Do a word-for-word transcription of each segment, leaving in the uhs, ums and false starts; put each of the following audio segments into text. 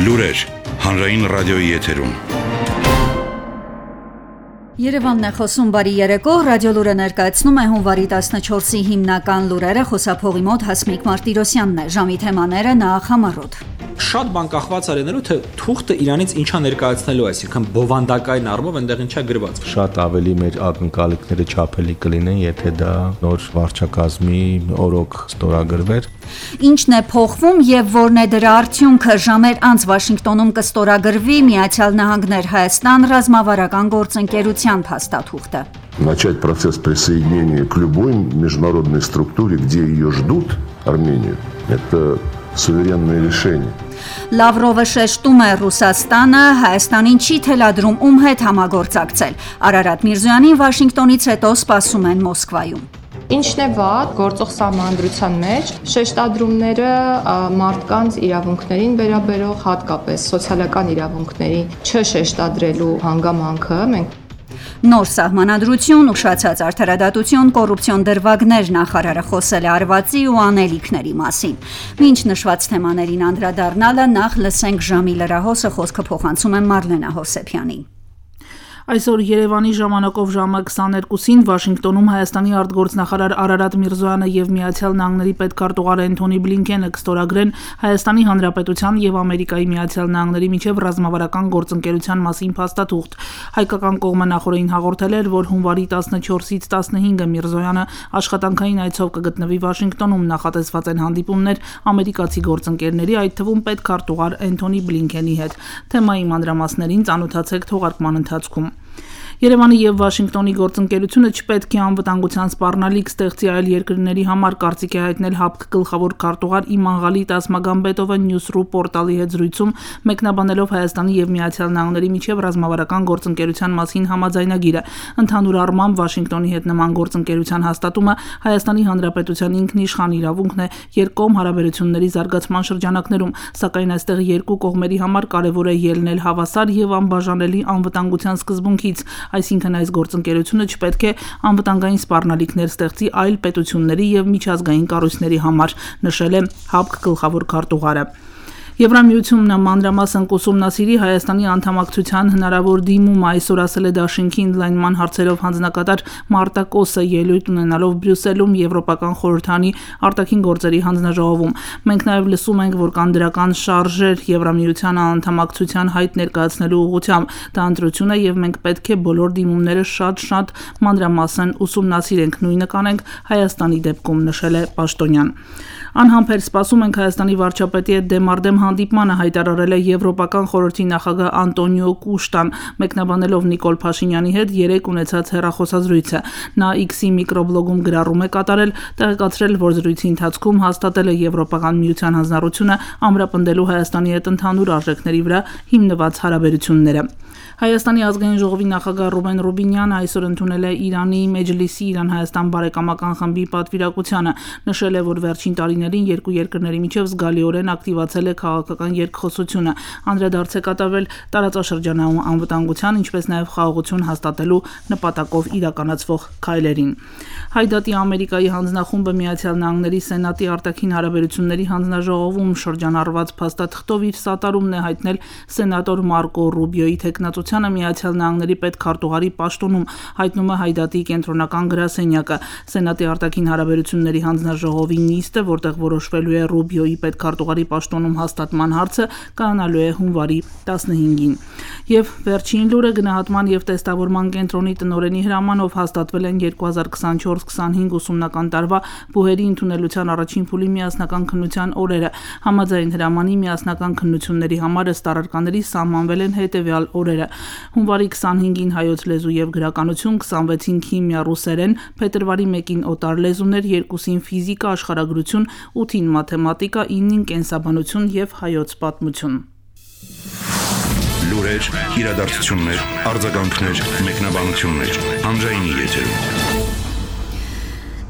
Լուրեր հանրային ռադիոյի եթերում։ Երևանն է խոսում, բարի երեկո, ռադիոլուրը ներկայացնում է հունվարի տասնչորսի հիմնական լուրերը, խոսափողի մոտ Հասմիկ Մարտիրոսյանն է, ժամի թեմաները նախ համառոտ։ Շատ բան կախված արենելու, թե թուղթը իրանից ինչա ներկայացնելու, այսինքն բովանդակային առումով այնտեղ ինչա գրված։ Շատ ավելի մեր ակնկալիքները չափելի կլինեն, եթե դա նոր վարչակազմի օրոք ստորագրվեր։ Ինչն է փոխվում եւ որն է դրա արդյունքը, ժամեր անց Վաշինգտոնում կստորագրվի Միացյալ Նահանգներ Հայաստան ռազմավարական գործընկերության փաստաթուղթը։ Начать процесс присоединения к любой международной структуре, где ее ждут, Армению, это суверенное решение. Լավրովը շեշտում է Ռուսաստանը Հայաստանին չի թելադրում ում հետ համագործակցել։ Արարատ Միրզոյանին Վաշինգտոնից հետո սպասում են Մոսկվայում։ Ինչն է վատ գործող սահմանադրության մեջ շեշտադրումները մարդկանց իրավունքներին վերաբերող, հատկապես սոցիալական իրավունքների չշեշտադրելու հանգամանքը մենք Նոր սահմանադրություն, ուշացած արդարադատություն, կոռուպցիոն դրվագներ նախարարը խոսել է արվածի ու անելիքների մասին։ Մինչ նշված թեմաներին անդրադառնալը նախ լսենք ժամի լրահոսը, խոսքը փոխանցում է Մարլենա Հովսեփյանին։ Այսօր Երևանի ժամանակով ժամը քսաներկուսին Վաշինգտոնում Հայաստանի արտգործնախարար Արարատ Միրզոյանը եւ Միացյալ Նահանգների պետքարտուղար Էնթոնի Բլինքենը կստորագրեն Հայաստանի Հանրապետության եւ Ամերիկայի Միացյալ Նահանգների միջև ռազմավարական գործընկերության մասին փաստաթուղթ։ Հայկական կողմը նախորդին հաղորդել էր, որ հունվարի տասնչորսից տասնհինգը Միրզոյանը աշխատանքային այցով կգտնվի Վաշինգտոնում, նախատեսված են հանդիպումներ ամերիկացի գործընկերների, այդ թվում պետքարտուղար Էնթոնի Բլինքենի հետ։ Թեմայի մանրամասներին ծանոթացեք թողարկման ընթացքում։ Երևանի եւ Վաշինգտոնի գործընկերությունը չպետք է անվտանգության սպառնալիք ստեղծի այլ երկրների համար, կարծիք է հայտնել ՀԱՊԿ գլխավոր քարտուղար Իման Ղալի Տասմագամբետովը Newsroom պորտալի հետ զրույցում, մեկնաբանելով Հայաստանի եւ Միացյալ Նահանգների միջև ռազմավարական գործընկերության մասին համաձայնագիրը։ Ընդհանուր առմամբ Վաշինգտոնի հետ նման գործընկերության հաստատումը Հայաստանի Հանրապետության ինքնիշխան իրավունքն է երկկողմ հարաբերությունների զարգացման շրջանակներում, սակայն այստեղ երկու կողմերի համար կարևոր է ելնել հավասար եւ անբաժանելի անվտանգության սկզբունքից, այսինքն այս գործընկերությունը չպետք է անվտանգային սպառնալիքներ ստեղծի այլ պետությունների եւ միջազգային կառույցների համար, նշել է ՀԱՊԿ գլխավոր քարտուղարը։ Եվրամիությունն մանրամասն կուսումնասիրի Հայաստանի անդամակցության հնարավոր դիմումը, այսօր ասել է Դաշինքի ընդլայնման հարցերով հանձնակատար Մարտա Կոսը ելույթ ունենալով Բրյուսելում Եվրոպական խորհրդանի արտաքին գործերի հանձնաժողովում։ Մենք նաև լսում ենք, որ կան դրական շարժեր Եվրամիության անդամակցության հայտ ներկայացնելու ուղղությամբ։ Դա ընտրություն է եւ մենք պետք է բոլոր դիմումները շատ-շատ մանրամասն ուսումնասիրենք, նույնը կանենք Հայաստանի դեպքում, նշել է Պաշտոնյան։ Անհամբեր սպասում ենք Հայաստանի վարչապետի հետ դեմարդեմ հանդիպմանը, հայտարարել է Եվրոպական խորհրդի նախագահ Անտոնիո Կուշտան, մեկնաբանելով Նիկոլ Փաշինյանի հետ երեկ ունեցած հեռախոսազրույցը։ Նա X-ի միկրոբլոգում գրառում է կատարել, տեղեկացրել, որ զրույցի ընթացքում հաստատել է Եվրոպական միության հանձնառությունը ամրապնդելու Հայաստանի հետ ընդհանուր արժեքների վրա հիմնված հարաբերությունները։ Հայաստանի ազգային ժողովի նախագահ Ռուբեն Ռուբինյանը այսօր ընդունել է Իրանի Մեջլիսի Իրան-Հայաստան բարեկամական խմբի պատվիրակությանը, նշել է, որ վերջին տարիներին երկու երկրների միջև զգալիորեն ակտիվացել է քաղաքական երկխոսությունը, անդրադարձ է կատարվել տարածաշրջանային անվտանգության, ինչպես նաև խաղաղություն հաստատելու նպատակով իրականացվող քայլերին։ Հայդատի Ամերիկայի հանձնախումբը Միացյալ Նահանգների Սենատի արտաքին հարաբերությունների հանձնաժողովում շրջանառված փաստաթղթով իր սատարումն է հայտնել սենատոր Մարկո Ռուբիոյի թեկնածությանը Միացյալ Նահանգների պետքարտուղարի պաշտոնում, հայտնում է Հայդատի կենտրոնական գրասենյակը։ Սենատի արտաքին հարաբերությունների հանձնաժողովի նիստը, որտեղ որոշվելու է Ռուբիոյի պետքարտուղարի պաշտոնում հաստատման հարցը, կայանալու է հունվարի տասնհինգին։ Եվ վերջին լուրը գնահատման եւ տեստավորման կենտրոնի տնօրենի հրամանով հաստատվել են երկու հազար քսանչորս քսանհինգ ուսումնական տարվա բուհերի ընդունելության առաջին փուլի միասնական քննության օրերը։ Համաձայն հրամանի միասնական քննությունների համար ըստ առարկաների սահմանվել են հետեւյալ օրերը. հունվարի քսանհինգին հայոց լեզու եւ գրականություն, քսանվեցին քիմիա, ռուսերեն, փետրվարի մեկին օտար լեզուներ, երկուսին ֆիզիկա, աշխարհագրություն, ութին մաթեմատիկա, ինին կենսաբանություն եւ հայոց պատմություն։ Լուրեր, իրադարձություններ, արձագանքներ, մեկնաբանություններ, հանրայինի եթերում։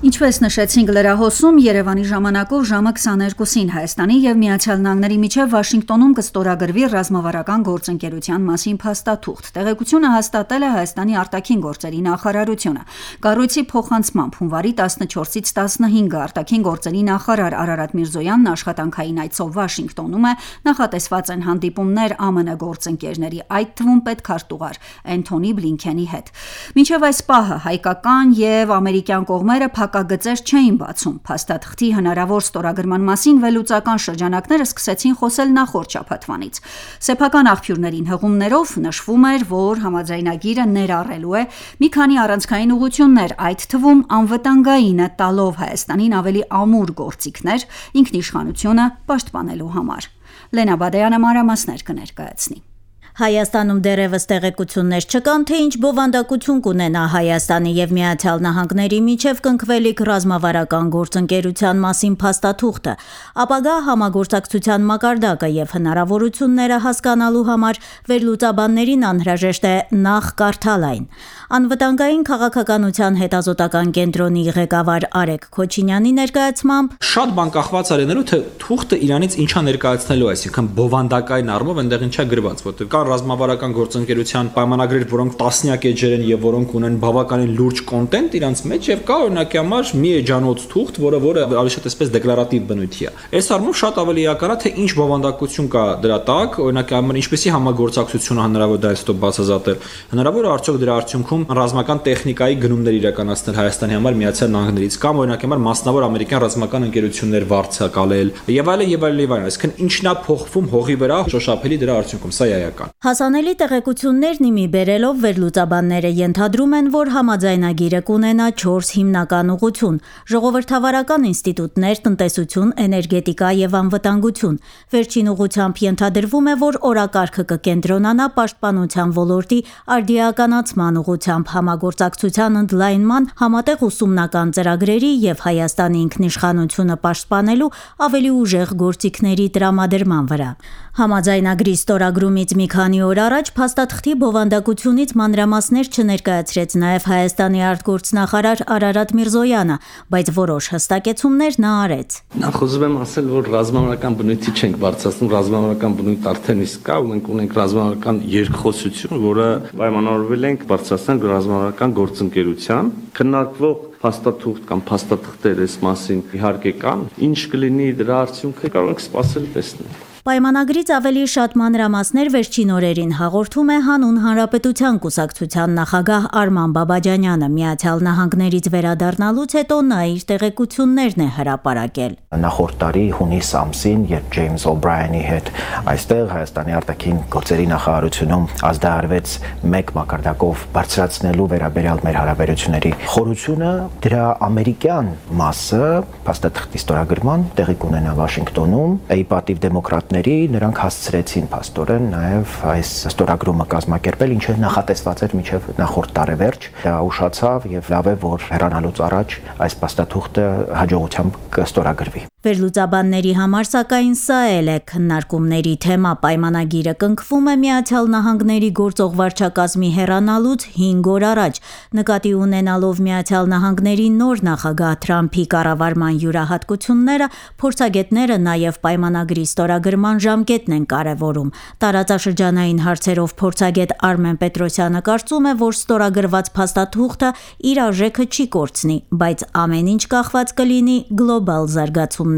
Ինչպես նշեցինք լրահոսում, Երևանի ժամանակով ժամը քսաներկուսին Հայաստանի եւ Միացյալ Նահանգների միջև Վաշինգտոնում կստորագրվի ռազմավարական գործընկերության մասին փաստաթուղթ։ Տեղեկությունը հաստատել է Հայաստանի արտաքին գործերի նախարարությունը։ Կառույցի փոխանցմամբ հունվարի տասնչորսից տասնհինգը արտաքին գործերի նախարար Արարատ Միրզոյանն աշխատանքային այցով Վաշինգտոնում է, նախատեսված են հանդիպումներ ԱՄՆ գործընկերների, այդ թվում պետքարտուղար Էնթոնի Բլինքենի հետ։ Մինչև այս պահը հայկական եւ ամերիկյան կողմերը Գծեր չէին բացում։ Փաստաթղթի հնարավոր ստորագրման մասին վերլուծական շրջանակները սկսեցին խոսել նախորդ շաբաթվանից։ Սեփական աղբյուրներին հղումներով նշվում էր, որ համաձայնագիրը ներառելու է մի քանի առանցքային ուղղություններ, այդ թվում անվտանգայինը տալով Հայաստանին ավելի ամուր գործիքներ ինքնիշխանությունը պաշտպանելու համար։ Լենա Բադայանը մանրամասներ կներկայացնի։ Հայաստանում դեռևս տեղեկություններ չկան, թե ինչ բովանդակություն կունենա Հայաստանի եւ Միացյալ Նահանգների միջև կնքվելիք ռազմավարական գործընկերության մասին փաստաթուղթը, ապագա համագործակցության մակարդակը եւ հնարավորությունները հասկանալու համար վերլուծաբաններին անհրաժեշտ է նախ կարդալ այն։ Անվտանգային քաղաքականության հետազոտական կենտրոնի ղեկավար Արեգ Քոչինյանի ներկայացմամբ շատ բան կախված է լինելու, թե թուղթը իրանից ինչա ներկայացնելու, այսինքն բովանդակային առումով այնտեղ ինչա գրված, որտեղ կա ռազմավարական գործընկերության պայմանագրեր, որոնք տասնյակ էջեր են եւ որոնք ունեն բավականին լուրջ կոնտենտ իրանց մեջ, եւ կա օրինակի համար մի էջանոց թուղթ, որը որը ավելի շատ այսպես դեկլարատիվ բնույթի է։ Այս առումով շատ ավելի էական է, թե ինչ բովանդակություն կա դրա տակ, օրինակի համար ինչպեսի համագործակցություն հնարավոր դա այստեղ բացազատել։ Հնարավոր է արդյոք դրա արդյունքում ռազմական տեխնիկայի գնումներ իրականացնել Հայաստանի համար Միացյալ Նահանգներից կամ օրինակի համար մասնավոր ամերիկյան ռազմական ընկերություններ վարձակալել եւ այլն եւ այլն եւ այլն, այսինքն ինչն է փոխվում հողի վրա շոշափելի դրա արդյունքում, սա էական։ Հասանելի տեղեկություններն իմի բերելով վերլուծաբանները ենթադրում են, որ համաձայնագիրը կունենա չորս հիմնական ուղղություն՝ ժողովրդավարական ինստիտուտներ, տնտեսություն, էներգետիկա եւ անվտանգություն։ Վերջին ուղղությամբ ենթադրվում է, որ օրակարգը կկենտրոնանա պաշտպանության ոլորտի արդիականացման ուղղությամբ, համագործակցության ընդլայնման, համատեղ ուսումնական ծրագրերի եւ Հայաստանի ինքնիշխանությունը պաշտպանելու ավելի ուժեղ գործիքների տրամադրման վրա։ Համաձայնագրի ստորագրումից մի քանի օր առաջ փաստաթղթի բովանդակությունից մանրամասներ չներկայացրեց նաև Հայաստանի արտգործնախարար Արարատ Միրզոյանը, բայց որոշ հստակեցումներ նա արեց։ Նախ ուզում եմ ասել, որ ռազմավարական բնույթի չենք բարձրացնում, ռազմավարական բնույթ արդեն իսկ կա, մենք ունենք ռազմավարական երկխոսություն, որը պայմանավորվել ենք բարձրացնել ռազմավարական գործընկերության, քննարկվող փաստաթուղթ կամ փաստաթղթեր այս մասին իհարկե կան, ինչ կլինի դրա արդյունքը կարող ենք սպասել տեսնել։ Պայմանագրից ավելի շատ մանրամասներ վերջին օրերին հաղորդում է Հանուն Հանրապետության կուսակցության նախագահ Արման Բաբաջանյանը։ Միացյալ Նահանգներից վերադառնալուց հետո նա իր տեղեկություններն է հրապարակել։ Նախորդ տարի հունիս ամսին, երբ Ջեյմս Օ'Բրայանի հետ այստեղ Հայաստանի արտաքին գործերի նախարարությունում ազդարարվեց մեկ մակարդակով բարձրացնելու վերաբերյալ մեր հարաբերությունների խորությունը, դրա ամերիկյան մասը փաստաթղթի ստորագրման տեղի կունենա Վաշինգտոնում, ի պատիվ դեմոկրատ նրանք հասցրեցին փաստորեն նաև այս ստորագրումը կազմակերպել, ինչը նախատեսված էր մինչև նախորդ տարեվերջ։ Դա ուշացավ եւ լավ է, որ հեռանալուց առաջ այս փաստաթուղթը հաջողությամբ կստորագրվի։ Վերլուծաբանների համար սակայն սա էլ է քննարկումների թեմա։ Պայմանագիրը կնքվում է Միացյալ Նահանգների գործող վարչակազմի հեռանալուց հինգ օր առաջ, նկատի ունենալով Միացյալ Նահանգների նոր նախագահ Թրամփի կառավարման յուրահատկությունները, փորձագետները նաև պայմանագրի ստորագրման ժամկետն են կարևորում։ Տարածաշրջանային հարցերով փորձագետ Արմեն Պետրոսյանը կարծում է, որ ստորագրված փաստաթուղթը իր արժեքը չի կորցնի, բայց ամեն ինչ կախված կլինի գլոբալ զարգացումներից։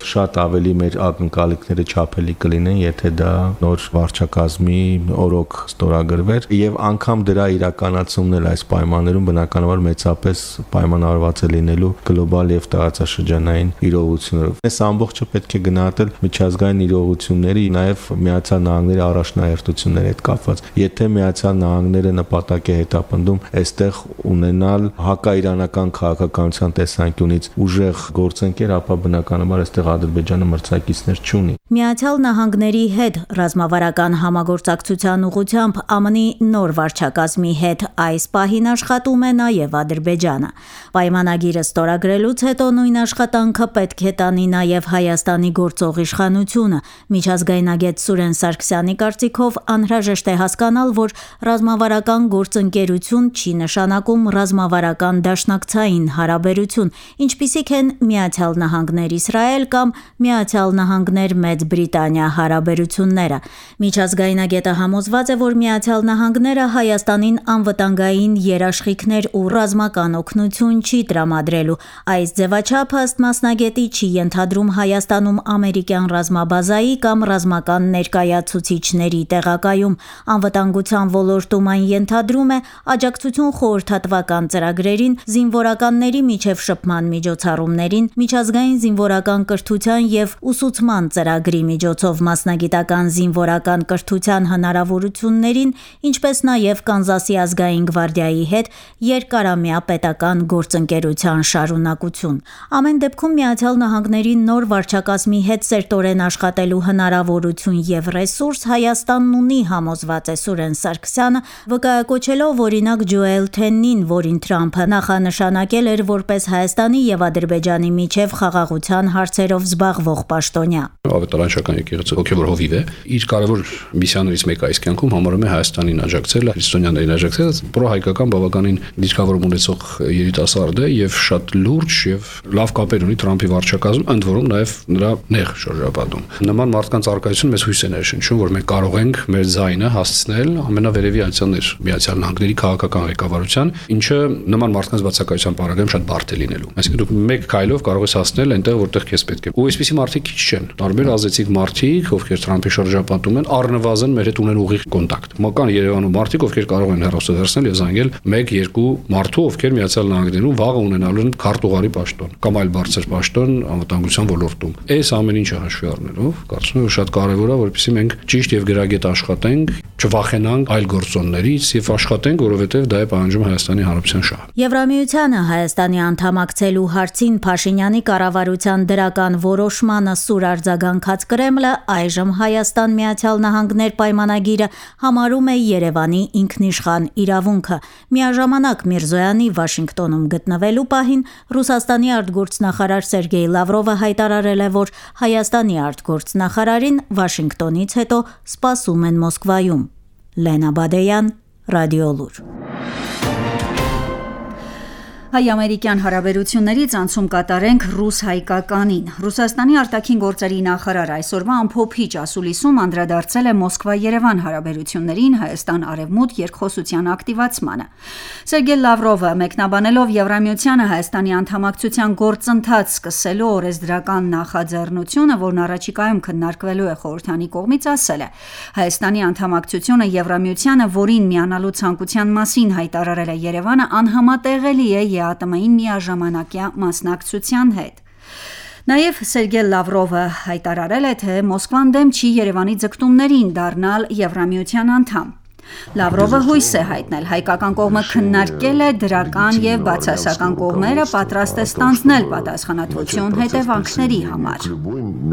Շատ ավելի մեր ակնկալիքները չափելի կլինեն, եթե դա նոր վարչակազմի օրոք ստորագրվեր, եւ անգամ դրա իրականացումն էլ այս պայմաններում բնականաբար մեծապես պայմանավորված է լինելու գլոբալ եւ տարածաշրջանային իրողություններով։ Այս ամբողջը պետք է գնահատել միջազգային իրողությունների, նաեւ Միացյալ Նահանգների առաջնահերթությունների հետ կապված։ Եթե Միացյալ Նահանգները նպատակ է հետապնդում այստեղ ունենալ հակաիրանական քաղաքականության տեսանկյունից ուժեղ գործընկեր, ապա բնական բնականաբար այստեղ Ադրբեջանը մրցակիցներ չունի։ Միացյալ Նահանգների հետ ռազմավարական համագործակցության ուղղությամբ ԱՄՆ-ի նոր վարչակազմի հետ այս պահին աշխատում է նաև Ադրբեջանը։ Պայմանագիրը ստորագրելուց հետո նույն աշխատանքը պետք է տանի նաև Հայաստանի գործող իշխանությունը։ Միջազգայնագետ Սուրեն Սարգսյանի կարծիքով անհրաժեշտ է հասկանալ, որ ռազմավարական գործընկերություն չի նշանակում ռազմավարական դաշնակցային հարաբերություն, ինչպիսիք են Միացյալ Նահանգներ Իսրայել կամ Միացյալ Նահանգներ Մեծ Բրիտանիա հարաբերությունները։ Միջազգայնագետը համոզված է, որ Միացյալ Նահանգները Հայաստանին անվտանգային երաշխիքներ ու ռազմական օգնություն չի տրամադրելու։ Այս ձևաչափը ըստ մասնագետի չի ենթադրում Հայաստանում ամերիկյան ռազմաբազայի կամ ռազմական ներկայացուցիչների տեղակայում։ Անվտանգության ոլորտում այն ենթադրում է աջակցություն խորհրդատվական ծրագրերին, զինվորականների միջև շփման միջոցառումներին, միջազգային զինվորական կրթության եւ ուսուցման ծրագրի միջոցով մասնագիտական զինվորական կրթության հնարավորություններին, ինչպես նաև Կանզասի ազգային գվարդիայի հետ երկարամյա պետական գործընկերության շարունակություն։ Ամեն դեպքում Միացյալ Նահանգների նոր վարչակազմի հետ սերտորեն աշխատելու հնարավորություն եւ ռեսուրս Հայաստանն ունի, համոզված է Սուրեն Սարգսյանը, վկայակոչելով օրինակ Ջոել Թեննին, որին Թրամփը նախանշանակել էր որպես Հայաստանի եւ Ադրբեջանի միջև խաղաղության հարցերով զբաղվող պաշտոնյա։ Ավետարանչական եկեղեցը հոգևոր հովիվ է, իր կարևոր միսիաներից մեկը այս կյանքում համարում է Հայաստանին աջակցել, քրիստոնյաներին աջակցել, պրոհայկական բավականին դիրքավորում ունեցող երիտասարդ է եւ շատ լուրջ եւ լավ կապեր ունի Թրամփի վարչակազմում, ընդ որում նաեւ նրա նեղ շրջապատում։ Նման մարդկանց արկայություն մեզ հույս է ներշնչում, որ մենք կարող ենք մեր ձայնը հասցնել ամենավերևի անցյալներ Միացյալ Նահանգների քաղաքական ղեկավարության, ինչը նման մարդկանց բացակայության պարագայում շատ բարդ է լինելու։ Այսինքն դուք մեկ քայլով կարող ես հասնել այնտեղ, որտեղ քեզ պետք է։ Ու այսպիսի մարդիկ քիչ չեն։ Տարբեր ազդեցիկ մարդիկ, ովքեր Թրամփի շրջապատում են, առնվազն մեր հետ ունեն ուղիղ կոնտակտ։ Մական Երևանում մարդիկ, ովքեր կարող են հեռախոսը վերցնել եւ զանգել մեկ երկու մարդու, ովքեր Միացյալ Նահանգներում վաղը ունենալու են քարտուղարի պաշտոն կամ այլ բարձր պաշտոն անվտանգության ոլորտում։ Այս ամեն ինչը հաշվի առնելով, կարծում եմ, որ շատ կարեւոր է, որպեսզի մենք ճիշտ եւ գրագետ աշխատենք, չվախենանք այլ գործոններից եւ աշխատենք, որովհետեւ դա է պահանջում Հայաստանի Հանրապետության շահը։ Եվրամիությանը Հայաստանի անդամակցելու հարցին Փաշինյանի կառավարության դրական որոշմանը սուր արձագանքած Կրեմլը այժմ Հայաստան Միացյալ Նահանգներ պայմանագիրը համարում է Երևանի ինքնիշխան իրավունքը։ Միաժամանակ Միրզոյանի Վաշինգտոնում գտնվելու պահին Ռուսաստանի արտգործնախարար Սերգեյ Լավրովը հայտարարել է, որ Հայաստանի արտգործնախարարին Վաշինգտոնից հետո սպասում են Մոսկվայում։ Լենա Բադեյան, Ռադիոլուր։ Հայ-ամերիկյան հարաբերություններից անցում կատարենք ռուս-հայկականին։ Ռուսաստանի արտաքին գործերի նախարար այսօրվա ամփոփիչ ասուլիսում անդրադարձել է Մոսկվա-Երևան հարաբերություններին Հայաստան-Արևմուտք երկխոսության ակտիվացմանը։ Սերգեյ Լավրովը մեկնաբանելով Եվրամիությանը Հայաստանի անդամակցության գործընթաց սկսելու օրեսդրական նախաձեռնությունը, որն առաջիկայում քննարկվելու է խորհրդանի կողմից, ասել է. Հայաստանի անդամակցությունը Եվրամիությանը, որին միանալու ցանկության մասին հայտարարել է Երևանը, անհամատեղելի է ԵԱՏՄ-ին միաժամանակյա մասնակցության հետ։ Նաև Սերգեյ Լավրովը հայտարարել է, թե Մոսկվան դեմ չի Երևանի ձգտումներին դառնալ Եվրամիության անդամ։ Լավրովը հույս է հայտնել, հայկական կողմը քննարկել է դրական եւ բացասական կողմերը, պատրաստ է ստանձնել պատասխանատվություն հետևանքների համար։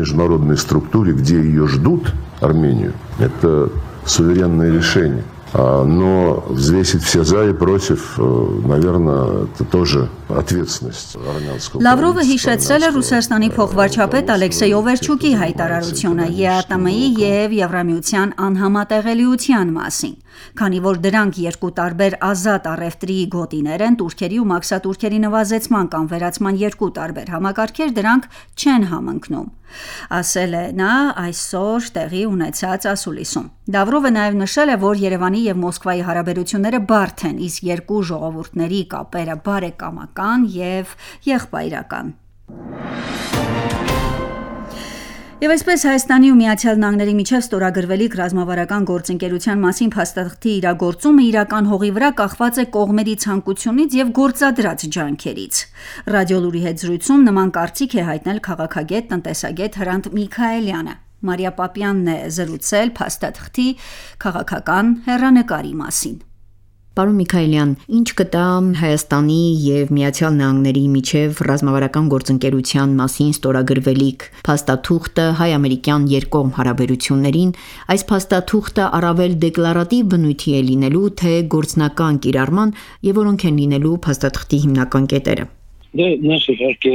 Международной структуре, где ее ждут, Армению, это суверенное решение. Но взвесить все за и против, наверное, это тоже ответственность армянского. Լավրովը հիշեցրել է Ռուսաստանի փոխվարչապետ Ալեքսեյ Օվերչուկի հայտարարությունը ԵԱՏՄ-ի եւ Եվրամիության անհամատեղելիության մասին, քանի որ դրանք երկու տարբեր ազատ առևտրի գոտիներ են, турքերի ու մաքսատուրքերի նվազեցման կամ վերացման երկու տարբեր համակարգեր, դրանք չեն համընկնում, ասել է նա այսօր տեղի ունեցած ասուլիսում։ Լավրովը նաև նշել է, որ Երևանի եւ Մոսկվայի հարաբերությունները բարդ են, իսկ երկու ժողովուրդների կապերը բարեկամական եւ եղբայրական։ Եվ այսպես Հայաստանի ու Միացյալ Նահանգների միջև ստորագրվելիք ռազմավարական գործընկերության մասին փաստաթղթի իրագործումը իրական հողի վրա կախված է կողմերի ցանկությունից եւ գործադրած ջանքերից։ Ռադիոլուրի հետ զրույցում նման կարծիք է հայտնել քաղաքագետ, տնտեսագետ Հրանտ Միքայելյանը։ Մարիա Պապյանն է զրուցել փաստաթղթի քաղաքական հեռանկարի մասին։ Պարոն Միքայելյան, ինչ կտա Հայաստանի եւ Միացյալ Նահանգների միջև ռազմավարական գործընկերության մասին ստորագրվելիք փաստաթուղթը հայ-ամերիկյան երկկողմ հարաբերություններին, այս փաստաթուղթը առավել դեկլարատիվ բնույթի է լինելու, թե գործնական կիրառման եւ որոնք են լինելու փաստաթղթի հիմնական կետերը։ Դե նախ իհարկե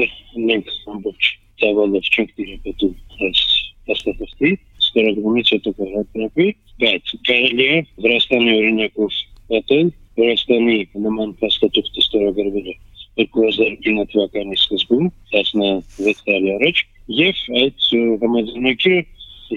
մենք ամբողջ ծավալով չենք դիրապետում այս փաստաթղթի ստորագրումից հետո կհրապարակվի, բայց կարելի է Վրաստանի օրինակով պատել, Վրաստանի նման փաստաթուղթ ստորագրվել է երկու հազար ինը թվականի սկզբում, տասնվեց տարի առաջ, եւ այդ համաձայնագիրը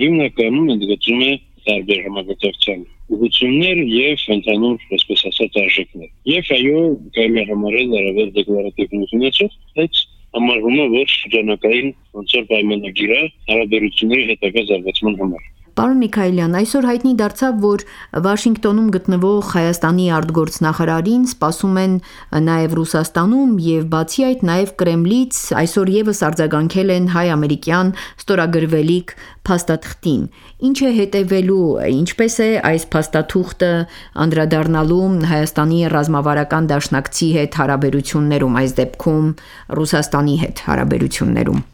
հիմնականում ընդգծում է տարբեր համագործակցության ուղղություններ եւ ընդհանուր, այսպես ասած, արժեքներ։ Եվ այո, կարելի է համարել առավել դեկլարատիվ ունեցող, բայց համարվում է, որ շրջանակային ոնց որ պայմանագիր է հարաբերությունների հետագա զարգացման համար։ Պարոն Միքայելյան, այսօր հայտնի դարձավ, որ Վաշինգտոնում գտնվող Հայաստանի արտգործնախարարին սպասում են նաև Ռուսաստանում եւ բացի այդ նաև Կրեմլից այսօր եւս արձագանքել են հայ-ամերիկյան ստորագրվելիք փաստաթղթին։ Ինչ է հետևելու, ինչպես է այս փաստաթուղթը անդրադառնալու Հայաստանի ռազմավարական դաշնակցի հետ հարաբերություններում, այս դեպքում Ռուսաստանի հետ հարաբերություններում։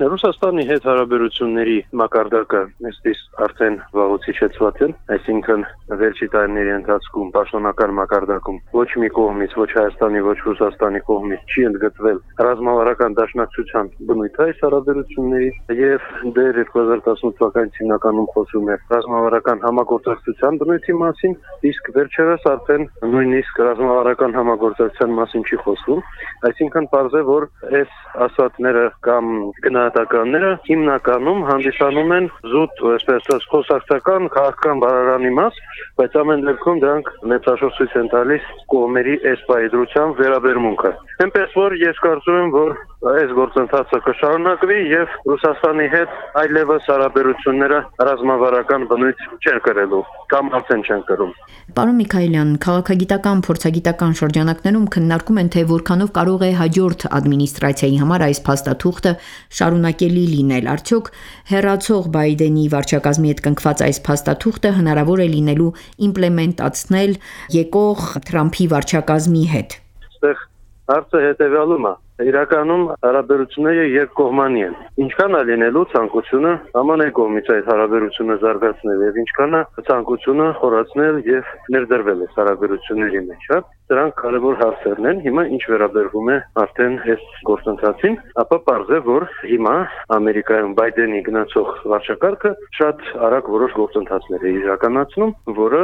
Ռուսաստանի հետ հարաբերությունների մակարդակը մեստից արդեն վաղուց իջեցված է, այսինքն վերջի տարիների ընթացքում պաշտոնական մակարդակում ոչ մի կողմից, ոչ Հայաստանի, ոչ Ռուսաստանի կողմից չի ընդգծվել ռազմավարական դաշնակցության բնույթը այս հարաբերությունների եւ դեռ երկու հազար տասնութ թվականից հիմնականում խոսում է ռազմավարական համագործակցության բնույթի մասին, իսկ վերջերս արդեն նույնիսկ ռազմավարական համագործակցության մասին չի խոսվում, այսինքն պարզ է, որ այս ասածները կամ գնահատականները հիմնականում հանդիսանում են զուտ, այսպես ասած, խոսակցական քաղաքական բարարանի մաս, բայց ամեն դեպքում դրանք մեծաշող ցույց են տալիս կողմերի այս պայծրության վերաբերմունքը։ Այնպես որ ես կարծում եմ, որ այս գործընթացը կշարունակվի եւ Ռուսաստանի հետ այլևս հարաբերությունները ռազմավարական բնույթ չեն կրելու կամ արդեն չեն կրում։ Պարոն Միքայելյան, քաղաքագիտական, փորձագիտական շրջանակներում քննարկում են, թե որքանով կարող է հաջորդ ադմինիստրացիայի համար այս փաստաթուղթը շարունակելի լինել։ Արդյոք հեռացող Բայդենի վարչակազմի հետ կնքված այս փաստաթուղթը հնարավոր է լինելու իմպլեմենտացնել եկող Թրամփի վարչակազմի հետ։ Այստեղ հարցը հետևյալում է։ Իրականում հարաբերությունները երկկողմանի են։ Ինչքան է լինելու ցանկությունը ԱՄՆ կողմից այդ հարաբերությունը զարգացնել եւ ինչքան է ցանկությունը խորացնել եւ ներդրվել այս հարաբերությունների մեջ, հա։ Դրանք կարևոր հարցերն են։ Հիմա ինչ վերաբերվում է արդեն այս գործընթացին, ապա պարզ է, որ հիմա Ամերիկայում Բայդենի գնացող վարչակարգը շատ արագ որոշ գործընթացներ է իրականացնում, որը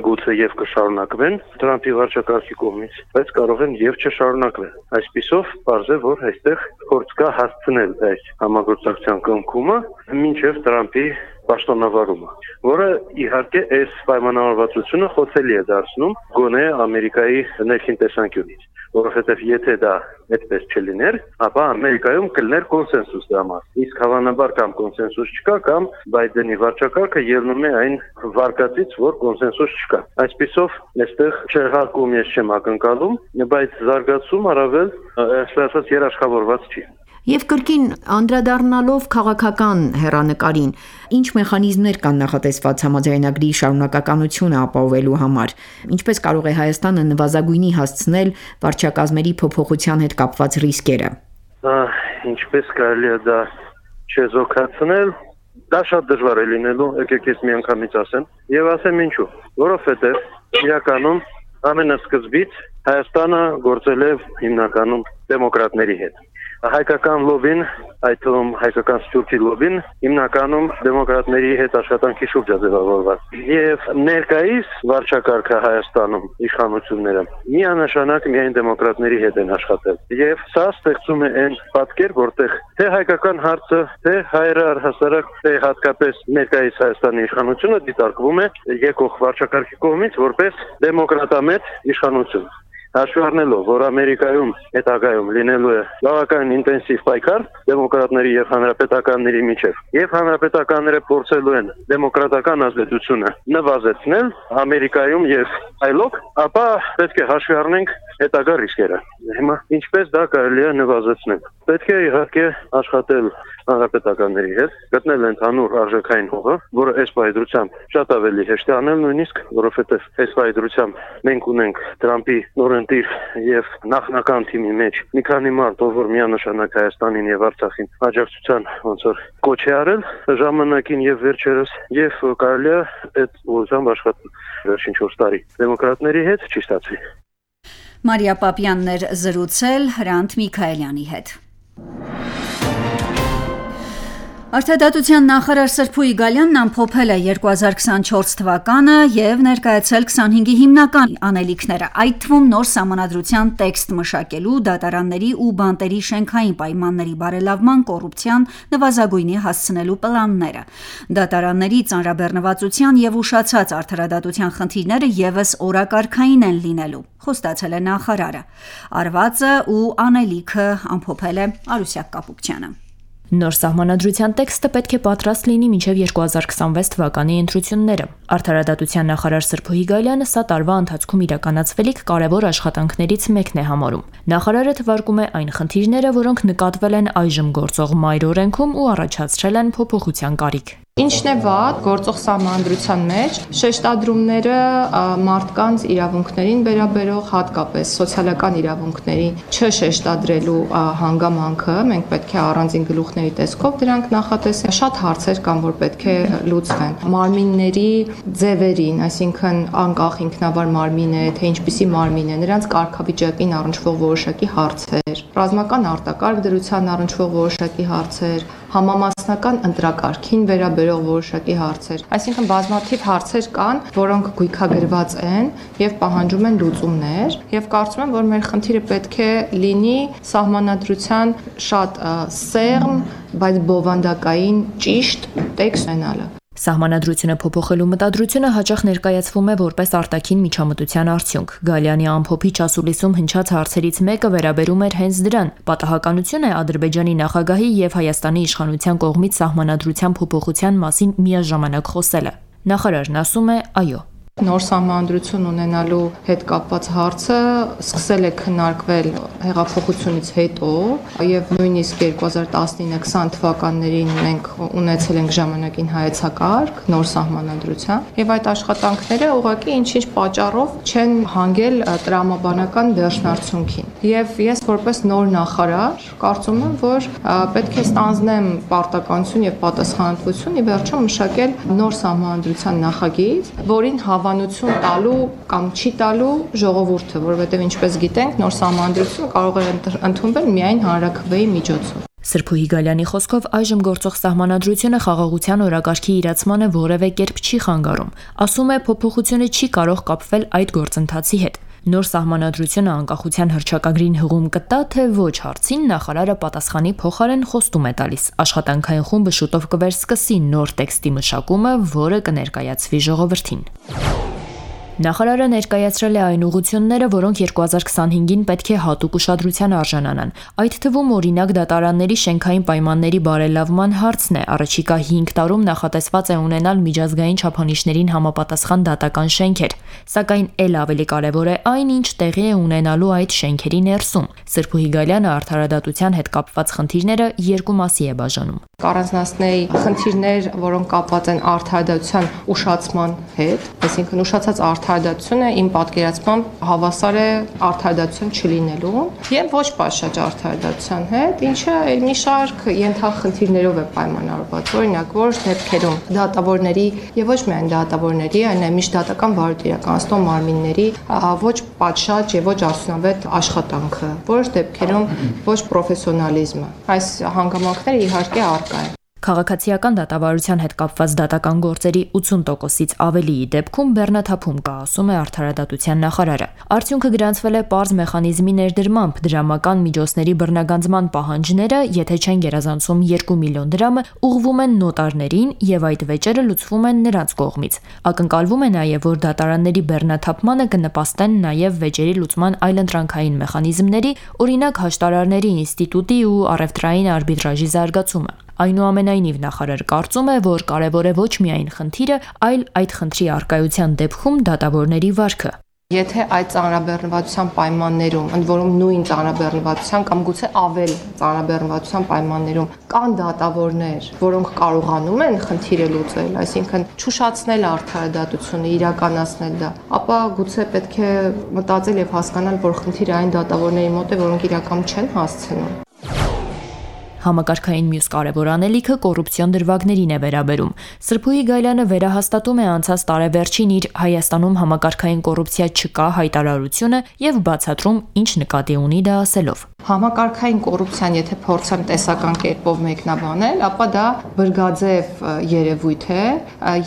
գուցե եւ կշարունակվեն Թրամփի վարչակարգի կողմից, բայց կարող են եւ չշարունակվել։ Այսպիսով պարզ է, որ այստեղ փորձ կա հասցնել այս համագործակցության կնքումը մինչև Թրամփի պաշտոնավարումը, որը իհարկե այս պայմանավորվածությունը խոցելի է դարձնում գոնե Ամերիկայի ներքին տեսանկյունից, որովհետև եթե դա այդպես չլիներ, ապա Ամերիկայում կլիներ կոնսենսուս դրա մասին։ Իսկ հավանաբար կամ կոնսենսուս չկա, կամ Բայդենի վարչակարգը ելնում է այն վարկածից, որ կոնսենսուս չկա։ Այսպիսով, այստեղ չեղարկում ես չեմ ակնկալում, բայց զարգացում առավել, այսպես ասած, երաշխավորված չի։ Եվ կրկին անդրադառնալով քաղաքական հեռանկարին, ինչ մեխանիզմներ կան նախատեսված համաձայնագրի շարունակականությունը ապահովելու համար, ինչպես կարող է Հայաստանը նվազագույնի հասցնել վարչակազմերի փոփոխության հետ կապված ռիսկերը։ Ինչպես կարելի է դա չեզոքացնել, դա շատ դժվար է լինելու, եկեք ես միանգամից ասեմ, եւ ասեմ ինչու, որովհետեւ իրականում ամենասկզբից Հայաստանը գործել է հիմնականում դեմոկրատների հետ։ Հայկական լոբին, այդ թվում հայկական սփյուռքի լոբին, հիմնականում դեմոկրատների հետ աշխատանքի շուրջ է ձևավորված։ Եվ ներկայիս վարչակարգը Հայաստանում իշխանությունները միանշանակ միայն դեմոկրատների հետ են աշխատել։ Եվ սա ստեղծում է այն պատկեր, որտեղ թե հայկական հարցը, թե հայերը առհասարակ, թե հատկապես ներկայիս Հայաստանի իշխանությունը դիտարկվում է եկող վարչակարգի կողմից որպես դեմոկրատամետ իշխանություն։ Հաշվի առնելով, որ Ամերիկայում հետագայում լինելու է բավական ինտենսիվ պայքար դեմոկրատների եւ հանրապետականների միջեւ, եւ հանրապետականները փորձելու են դեմոկրատական ազդեցությունը նվազեցնել Ամերիկայում եւ այլոք, ապա պետք է հաշվի առնենք հետագա ռիսկերը։ Հիմա ինչպես դա կարելի է նվազեցնել։ Պետք է իհարկե աշխատել հանրապետականների հետ, գտնել ընդհանուր արժեքային հողը, որը այս պայծրությամբ շատ ավելի հեշտ է անել նույնիսկ, որովհետև այս պայծրությամբ մենք ունենք Տրամպի նորընտիր եւ նախնական թիմի մեջ մի քանի մարդ, ով որ միանշանակ Հայաստանին եւ Արցախին աջակցության ոնց որ կոչ է արել ժամանակին եւ վերջերս եւ կարելի է այդ ուղղությամբ աշխատել վերջին չորս տարի դեմոկրատների հետ չի ստացվի։ Մարիա Պապյանն էր զրուցել Հրանտ Միքայելյանի հետ։ Արտադատության նախարար Սրփուհի Գալյանն ամփոփել է երկու հազար քսանչորս թվականը եւ ներկայացրել քսանհինգի հիմնական անելիքները, այդ թվում նոր սահմանադրության տեքստ մշակելու, դատարանների ու բանտերի շենքային պայմանների բարելավման, կոռուպցիան նվազագույնի հասցնելու պլանները։ Դատարանների ծանրաբեռնվածության եւ ուշացած արդարադատության խնդիրները եւս օրակարգային են լինելու, խոստացել է նախարարը։ Արվածը ու անելիքը ամփոփել է Արուսյակ Կապուկչյանը։ Նոր սահմանադրության տեքստը պետք է պատրաստ լինի մինչև երկու հազար քսանվեց թվականի ընտրությունները։ Արդարադատության նախարար Սրփուհի Գալյանը սա տարվա ընթացքում իրականացվելիք կարևոր աշխատանքներից մեկն է համարում։ Նախարարը թվարկում է այն խնդիրները, որոնք նկատվել են այժմ գործող մայր օրենքում ու առաջացրել են փոփոխության կարիք։ Ինչն է վատ գործող սահմանադրության մեջ շեշտադրումները մարդկանց իրավունքներին վերաբերող հատկապես սոցիալական իրավունքներին չշեշտադրելու հանգամանքը մենք պետք է առանձին գլուխների տեսքով դրանք նախատեսենք։ Շատ հարցեր կան, որ պետք է լուծվեն։ Մարմինների ձևերին, այսինքն անկախ ինքնավար մարմին է, թե ինչպիսի մարմին է, նրանց կարգավիճակին առնչվող որոշակի հարցեր, ռազմական արտակարգ դրության առնչվող որոշակի հարցեր, համամասնական ընտրակարգին վերաբերող որոշակի հարցեր։ Այսինքն բազմաթիվ հարցեր կան, որոնք գույքագրված են եւ պահանջում են լուծումներ, եւ կարծում եմ, որ մեր խնդիրը պետք է լինի սահմանադրության շատ սեղմ, բայց բովանդակային ճիշտ տեքստ ունենալը։ Սահմանադրությունը փոփոխելու մտադրությունը հաճախ ներկայացվում է որպես արտաքին միջամտության արդյունք։ Գալյանի ամփոփիչ ասուլիսում հնչած հարցերից մեկը վերաբերում էր հենց դրան։ Պատահականություն է Ադրբեջանի նախագահի եւ Հայաստանի իշխանության կողմից սահմանադրության փոփոխության մասին միաժամանակ խոսելը։ Նախարարն ասում է՝ այո։ Նոր սահմանադրություն ունենալու հետ կապված հարցը սկսել է քննարկվել հեղափոխությունից հետո եւ նույնիսկ երկու հազար տասնինը քսան թվականներին մենք ունեցել ենք ժամանակին հայեցակարգ նոր սահմանադրության եւ այդ աշխատանքները ուղղակի ինչ-ինչ պատճառով չեն հանգել տրամաբանական վերջնարդյունքին եւ ես որպես նոր նախարար կարծում եմ, որ պետք է ստանձնեմ պարտականություն եւ պատասխանատվություն ի վերջո մշակել նոր սահմանադրության նախագիծ, որին հավանություն տալու կամ չի տալու ժողովուրդը, որովհետև ինչպես գիտենք, նոր սահմանադրությունը կարող է ընդունվել միայն հանրաքվեի միջոցով։ Սրփուհի Գալյանի խոսքով այժմ գործող սահմանադրությունը խաղաղության օրակարգի իրացմանը որևէ կերպ չի խանգարում։ Ասում է, փոփոխությունը չի կարող կապվել այդ գործընթացի հետ։ Նոր սահմանադրությունը անկախության հռչակագրին հղում կտա, թե ոչ հարցին նախարարը պատասխանի փոխարեն խոստում է տալիս։ Աշխատանքային խումբը շուտով կվերսկսի նոր տեքստի մշակումը, որը կներկայացվի ժողովրդին։ Նախարարը ներկայացրել է այն ուղղությունները, որոնք երկու հազար քսանհինգին պետք է հատուկ ուշադրության արժանանան։ Այդ թվում օրինակ դատարանների շենքային պայմանների բարելավման հարցն է։ Առաջիկա հինգ տարում նախատեսված է ունենալ միջազգային չափանիշներին համապատասխան դատական շենքեր, սակայն ել ավելի կարևոր է այն, ինչ տեղի է ունենալու այդ շենքերի ներսում։ Սրփուհի Գալյանը արդարադատության հետ կապված խնդիրները երկու մասի է բաժանում։ Կառանձնացնեի խնդիրներ, որոնք կապված են արդարադատության ուշացման հետ, այսինքն ուշացած արդարադատությունը իմ պատկերացմամբ հավասար է արդարադատություն չլինելու եւ ոչ պատշաճ արդարադատության հետ, ինչը մի շարք ենթախնդիրներով է պայմանավորված։ Օրինակ, որոշ դեպքերում դատավորների եւ ոչ միայն դատավորների, այլ միշտ դատական վարույթ իրականացնող մարմինների ոչ պատշաճ եւ ոչ արդյունավետ աշխատանքը, որոշ դեպքերում ոչ պրոֆեսիոնալիզմը։ Այս հանգամանքները իհարկե առկա են։ Քաղաքացիական դատավարության հետ կապված դատական գործերի ութուն տոկոսից ավելիի դեպքում բեռնաթափում կա, ասում է արդարադատության նախարարը։ Արդյունքը գրանցվել է պարզ մեխանիզմի ներդրմամբ, դրամական միջոցների բռնագանձման պահանջները, եթե չեն գերազանցում երկու միլիոն դրամը, ուղղվում են նոտարներին եւ այդ վեճերը լուծվում են նրանց կողմից։ Ակնկալվում է նաեւ, որ դատարանների բեռնաթափմանը կնպաստեն նաեւ վեճերի լուծման այլընտրանքային մեխանիզմների, օրինակ հաշտարարների ինստիտուտի ու առևտրային արբիտրաժի զարգացումը։ Այնուամենայնիվ նախարարը կարծում է, որ կարևոր է ոչ միայն խնդիրը, այլ այդ խնդրի առկայության դեպքում դատավորների վարքը։ Եթե այդ ծանրաբեռնվածության պայմաններում, ընդ որում նույն ծանրաբեռնվածության կամ գուցե ավել ծանրաբեռնվածության պայմաններում կան դատավորներ, որոնք կարողանում են խնդիրը լուծել, այսինքն չուշացնել արդարադատությունը, իրականացնել դա, ապա գուցե պետք է մտածել եւ հասկանալ, որ խնդիրը այն դատավորների մոտ է, որոնք իրականում չեն հասցնում։ Համակարգային մյուս կարևոր անելիքը կոռուպցիոն դրվագներին է վերաբերում։ Սրփուհի Գայլյանը վերահաստատում է անցած տարեվերջին իր Հայաստանում համակարգային կոռուպցիա չկա հայտարարությունը եւ բացատրում ինչ նկատի ունի դա ասելով. Համակարգային կոռուպցիան, եթե փորձեմ տեսական կերպով մեկնաբանել, ապա դա բրգաձև երևույթ է,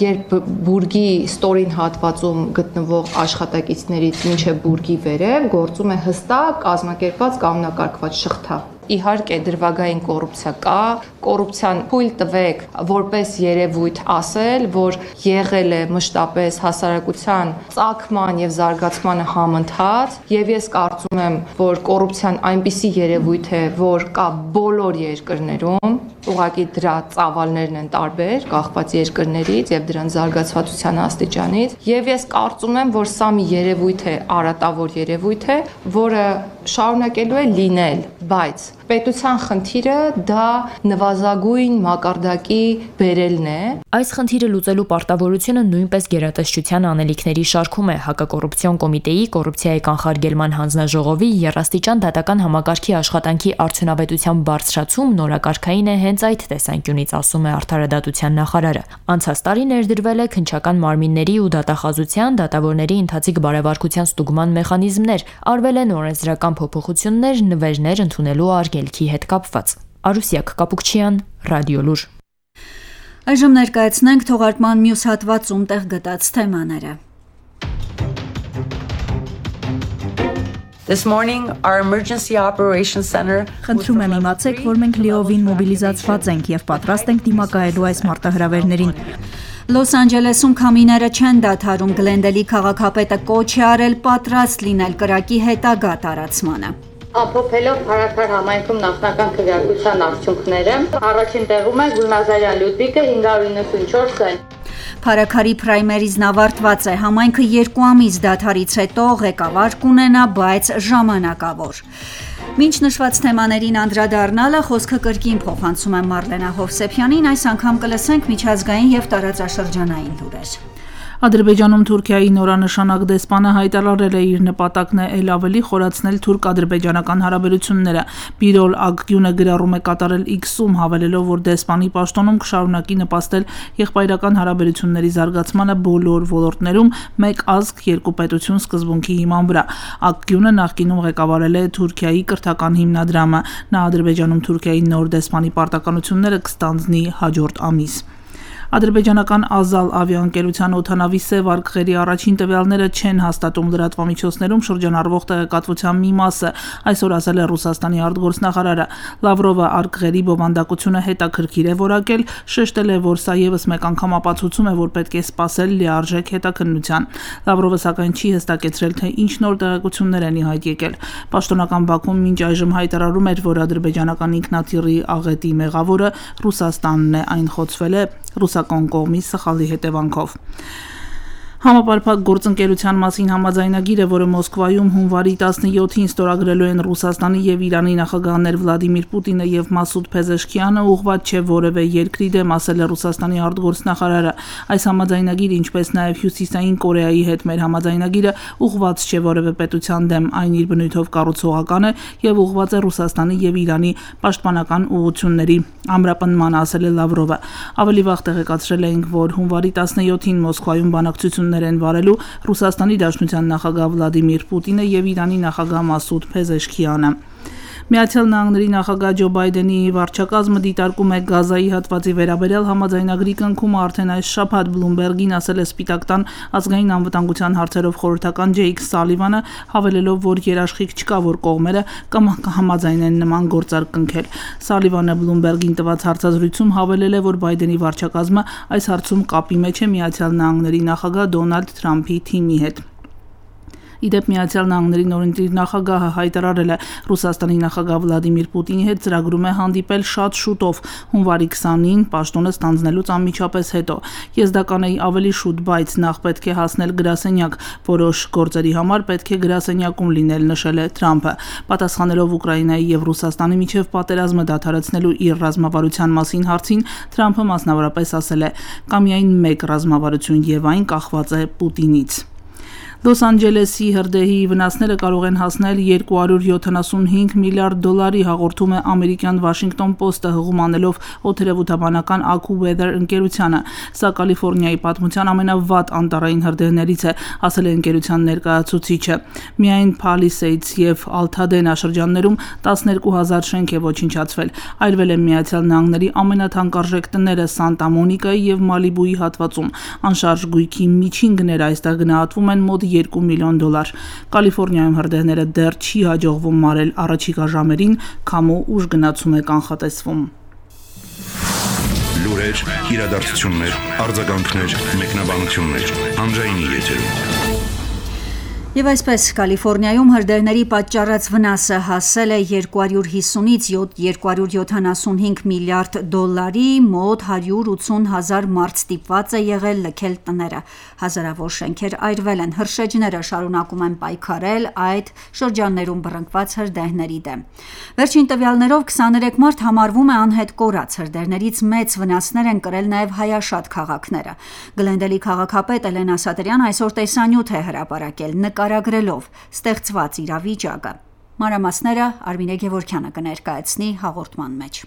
երբ բուրգի ստորին հատվածում գտնվող աշխատակիցներից մինչև բուրգի վերև գործում է հստակ կազմակերպված կանոնակարգված շղթա։ Իհարկե դրվագային կոռուպցիա կա, կոռուպցիան թույլ տվեք որպես երևույթ ասել, որ եղել է մշտապես հասարակության ծագման եւ զարգացմանը համընթաց, եւ ես կարծում եմ, որ կոռուպցիան այնպիսի երևույթ է, որ կա բոլոր երկրներում, ուղղակի դրա ծավալներն են տարբեր, կախված երկրներից եւ դրան զարգացվածության աստիճանից, եւ ես կարծում եմ, որ սա մի երևույթ է, արատավոր երևույթ է, որը շարունակելու է լինել, բայց պետության խնդիրը դա նվազագույն մակարդակի բերելն է։ Այս խնդիրը լուծելու պարտավորությունը նույնպես գերատեսչության անելիքների շարքում է հակակոռուպցիոն կոմիտեի կոռուպցիայի կանխարգելման հանձնաժողովի երաստիճան դատական համակարգի աշխատանքի արդյունավետության բարձրացում նորակարգային է հենց այդ տեսանկյունից, ասում է արդարադատության նախարարը։ Անցած տարի ներդրվել է քննչական մարմինների ու դատախազության, դատավորների ընթացիկ բարեվարկության ստուգման մեխանիզմներ, արվել են օրենսդրական փոփոխություններ, նվերներ ընդունելու արգելքի հետ կապված։ Արուսյակ Կապուկչյան, Ռադիոլուր։ Այժմ ներկայացնենք թողարկման մյուս հատվածում տեղ գտած թեմաները։ This morning our emergency operations center Խնդրում եմ իմացեք, որ մենք լիովին մոբիլիզացված ենք եւ պատրաստ ենք դիմակայելու այս մարտահրավերներին։ Լոս Անջելեսում քամիները չեն դադարում, Գլենդելի քաղաքապետը կոչ է արել պատրաստ լինել կրակի հետագա տարածմանը։ Ամփոփելով Փարաքար համայնքում նախնական քվեարկության արդյունքները, առաջին տեղում է Գուլնազարյան Լյուդվիկը հինգ հարյուր իննսունչորս են։ Փարաքարի պրայմերիզն ավարտված է, համայնքը երկու ամիս դադարից հետո ղեկավար կունենա, բայց ժամանակավոր։ Մինչ նշված թեմաներին անդրադառնալը խոսքը կրկին փոխանցում եմ Մարլենա Հովսեփյանին, այս անգամ կլսենք միջազգային եւ տարածաշրջանային լուրեր։ Ադրբեջանում Թուրքիայի նորանշանակ դեսպանը հայտարարել է իր նպատակն է ել ավելի խորացնել թուրք-ադրբեջանական հարաբերությունները։ Բիրոլ Ակգյունը գրառում է կատարել X-ում, հավելելով, որ դեսպանի պաշտոնում կշարունակի նպաստել եղբայրական հարաբերությունների զարգացմանը բոլոր ոլորտներում մեկ ազգ երկու պետություն սկզբունքի հիման վրա։ Ակգյունը նախկինում ղեկավարել է Թուրքիայի կրթական հիմնադրամը։ Նա Ադրբեջանում Թուրքիայի նոր դեսպանի պարտականությունները կստանձնի հաջորդ ամիս։ Ադրբեջանական Ազալ ավիաընկերության օդանավի սև արկղերի առաջին տվյալները չեն հաստատում լրատվամիջոցներում շրջանառվող տեղեկատվության մի մասը, այսօր ասել է Ռուսաստանի արտգործնախարարը։ Լավրովը արկղերի բովանդակությունը հետաքրքիր է որակել, շեշտել է, որ սա եւս մեկ անգամ ապացուցում է, որ պետք է սպասել լիարժեք հետաքննության։ Լավրովը սակայն չի հստակեցրել, թե ինչ նոր տեղեկություններ են ի հայտ եկել։ Պաշտոնական Բաքուն մինչ այժմ հայտարարում էր, որ ադրբեջանական ինքնաթիռի աղետի մեղավորը Ռուսաստանն է, այն խոցվել է ռուսական կողմի սխալի հետևանքով։ Համապարփակ գործընկերության մասին համաձայնագիրը, որը Մոսկվայում հունվարի տասնյոթին ստորագրելու են Ռուսաստանի եւ Իրանի նախագահներ Վլադիմիր Պուտինը եւ Մասուդ Փեզեշքյանը, ուղղված չէ որևէ երկրի դեմ, ասել է Ռուսաստանի արտգործնախարարը։ Այս համաձայնագիրը, ինչպես նաեւ Հյուսիսային Կորեայի հետ մեր համաձայնագիրը, ուղղված չէ որևէ պետության դեմ, այն իր բնույթով կառուցողական է եւ ուղղված է Ռուսաստանի եւ Իրանի պաշտպանական ուղղությունների ամրապնման, ասել է Լավրովը։ Ավելի վաղ տեղեկացրել էինք, որ հունվարի տասնյոթին Մոսկվայում բանակցություններ են վարելու Ռուսաստանի Դաշնության նախագահ Վլադիմիր Պուտինը եւ Իրանի նախագահ Մասուդ Փեզեշքյանը։ Միացյալ Նահանգների նախագահ Ջո Բայդենի վարչակազմը դիտարկում է Գազայի հատվածի վերաբերյալ համաձայնագրի կնքումը արդեն այս շաբաթ Բլումբերգին ասել է Սպիտակ տան ազգային անվտանգության հարցերով խորհրդական Ջեյք Սալիվանը, հավելելով, որ երաշխիք չկա, որ կողմերը կամ կհամաձայնեն նման գործարք կնքել։ Սալիվանը Բլումբերգին տված հարցազրույցում հավելել է, որ Բայդենի վարչակազմը այս հարցում կապի մեջ է Միացյալ Նահանգների նախագահ Դոնալդ Թրամփի թիմի հետ։ Ի դեպ Միացյալ Նահանգների նորընտիր նախագահը հայտարարել է Ռուսաստանի նախագահ Վլադիմիր Պուտինի հետ ծրագրում է հանդիպել շատ շուտով հունվարի քսանին պաշտոնը ստանձնելուց անմիջապես հետո։ Ես դա կանեի ավելի շուտ, բայց նախ պետք է հասնել գրասենյակ, որոշ գործերի համար պետք է գրասենյակում լինել, նշել է Թրամփը։ Պատասխանելով Ուկրաինայի եւ Ռուսաստանի միջև պատերազմը դադարեցնելու իր ռազմավարության մասին հարցին, Թրամփը մասնավորապես ասել է. «Կա միայն մեկ ռազմավարություն եւ այն կախված է Պուտինից»։ Լոս Անջելեսի հրդեհի վնասները կարող են հասնել երկու հարյուր յոթանասունհինգ միլիարդ դոլարի, հաղորդում է ամերիկյան Washington Post-ը հղում անելով օդերևութաբանական AccuWeather ընկերությանը։ Սա Կալիֆոռնիայի պատմության ամենավատ անտառային հրդեհներից է, ասել է ընկերության ներկայացուցիչը։ Միայն Palisades եւ Altadena շրջաններում տասներկու հազար շենք է ոչնչացվել։ Այրվել են Միացյալ Նահանգների ամենաթանկարժեք տները Սանտա Մոնիկայի եւ Մալիբուի հատվածում։ Անշարժ գույքի միջին գները այստեղ գնահատվում են մոտ երկու միլիոն դոլար։ Կալիֆոռնիայում հրդեհները դեռ չի հաջողվում մարել առաջիկա ժամերին, քամու ուժ գնացում է կանխատեսվում։ Լուրեր, իրադարձություններ, արձագանքներ, մեկնաբանություններ, հանրայինի եթերում։ Եվ այսպես Կալիֆոռնիայում հրդեհների պատճառած վնասը հասել է երկու հարյուր հիսունից երկու հարյուր յոթանասունհինգ միլիարդ դոլարի, մոտ հարյուր ութսուն հազար մարդ ստիպված է եղել լքել տները, հազարավոր շենքեր այրվել են, հրշեջները շարունակում են պայքարել այդ շրջաններում բռնկված հրդեհների դեմ։ Վերջին տվյալներով քսաներեք մարդ համարվում է անհետ կորած, հրդեհներից մեծ վնասներ են կրել նաև հայաշատ քաղաքները։ Գլենդելի քաղաքապետ Էլենա Սատրյան այսօր տեսանյութ է հրապարակել նկարագրելով ստեղծված իրավիճակը։ Մանրամասները Արմինե Գևորգյանը կներկայացնի հաղորդման մեջ։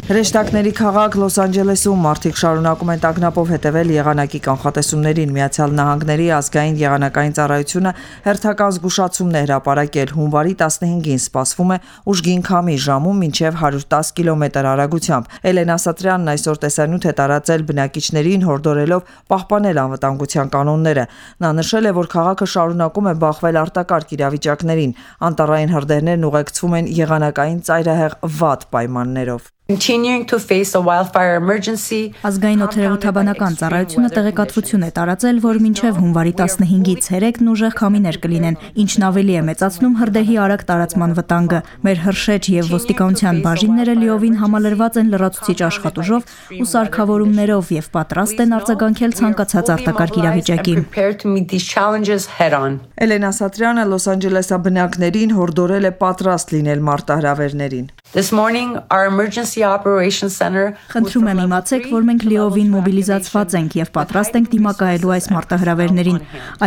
Հրեշտակների քաղաք Լոս Անջելեսում մարդիկ շարունակում են տագնապով հետևել եղանակի կանխատեսումներին։ Միացյալ Նահանգների ազգային եղանակային ծառայությունը հերթական զգուշացումն է հրապարակել։ Հունվարի տասնհինգին սպասվում է ուժգին քամի ժամում մինչև հարյուր տասը կիլոմետր արագությամբ։ Էլենա Սատրյանն այսօր տեսանյութ է տարածել բնակիչներին, հորդորելով պահպանել անվտանգության կանոնները։ Նա նշել է, որ քաղաքը շարունակում է բախվել արտակարգ իրավիճակներին։ Անտառային հրդեհներն ուղեկցվում են եղանակային ծայրահեղ վատ պայմաններով։ Continuing to face a wildfire emergency. Ազգային օդերևութաբանական ծառայությունը տեղեկատվություն է տարածել, որ մինչև հունվարի տասնհինգից ցերեկն ուժեղ քամիներ կլինեն, ինչն ավելի է մեծացնում հրդեհի արագ տարածման վտանգը։ Մեր հրշեջ եւ ոստիկանության բաժինները լիովին համալրված են լրացուցիչ աշխատուժով ու սարքավորումներով եւ պատրաստ են արձագանքել ցանկացած արտակարգ իրավիճակի։ Էլենա Սատրյանը Լոս Անջելեսի բնակիչներին հորդորել է պատրաստ լինել մարտահրավերներին։ This morning our emergency operations center. Խնդրում եմ իմացեք, որ մենք լիովին մոբիլիզացված ենք եւ պատրաստ ենք դիմակայելու այս մարտահրավերներին։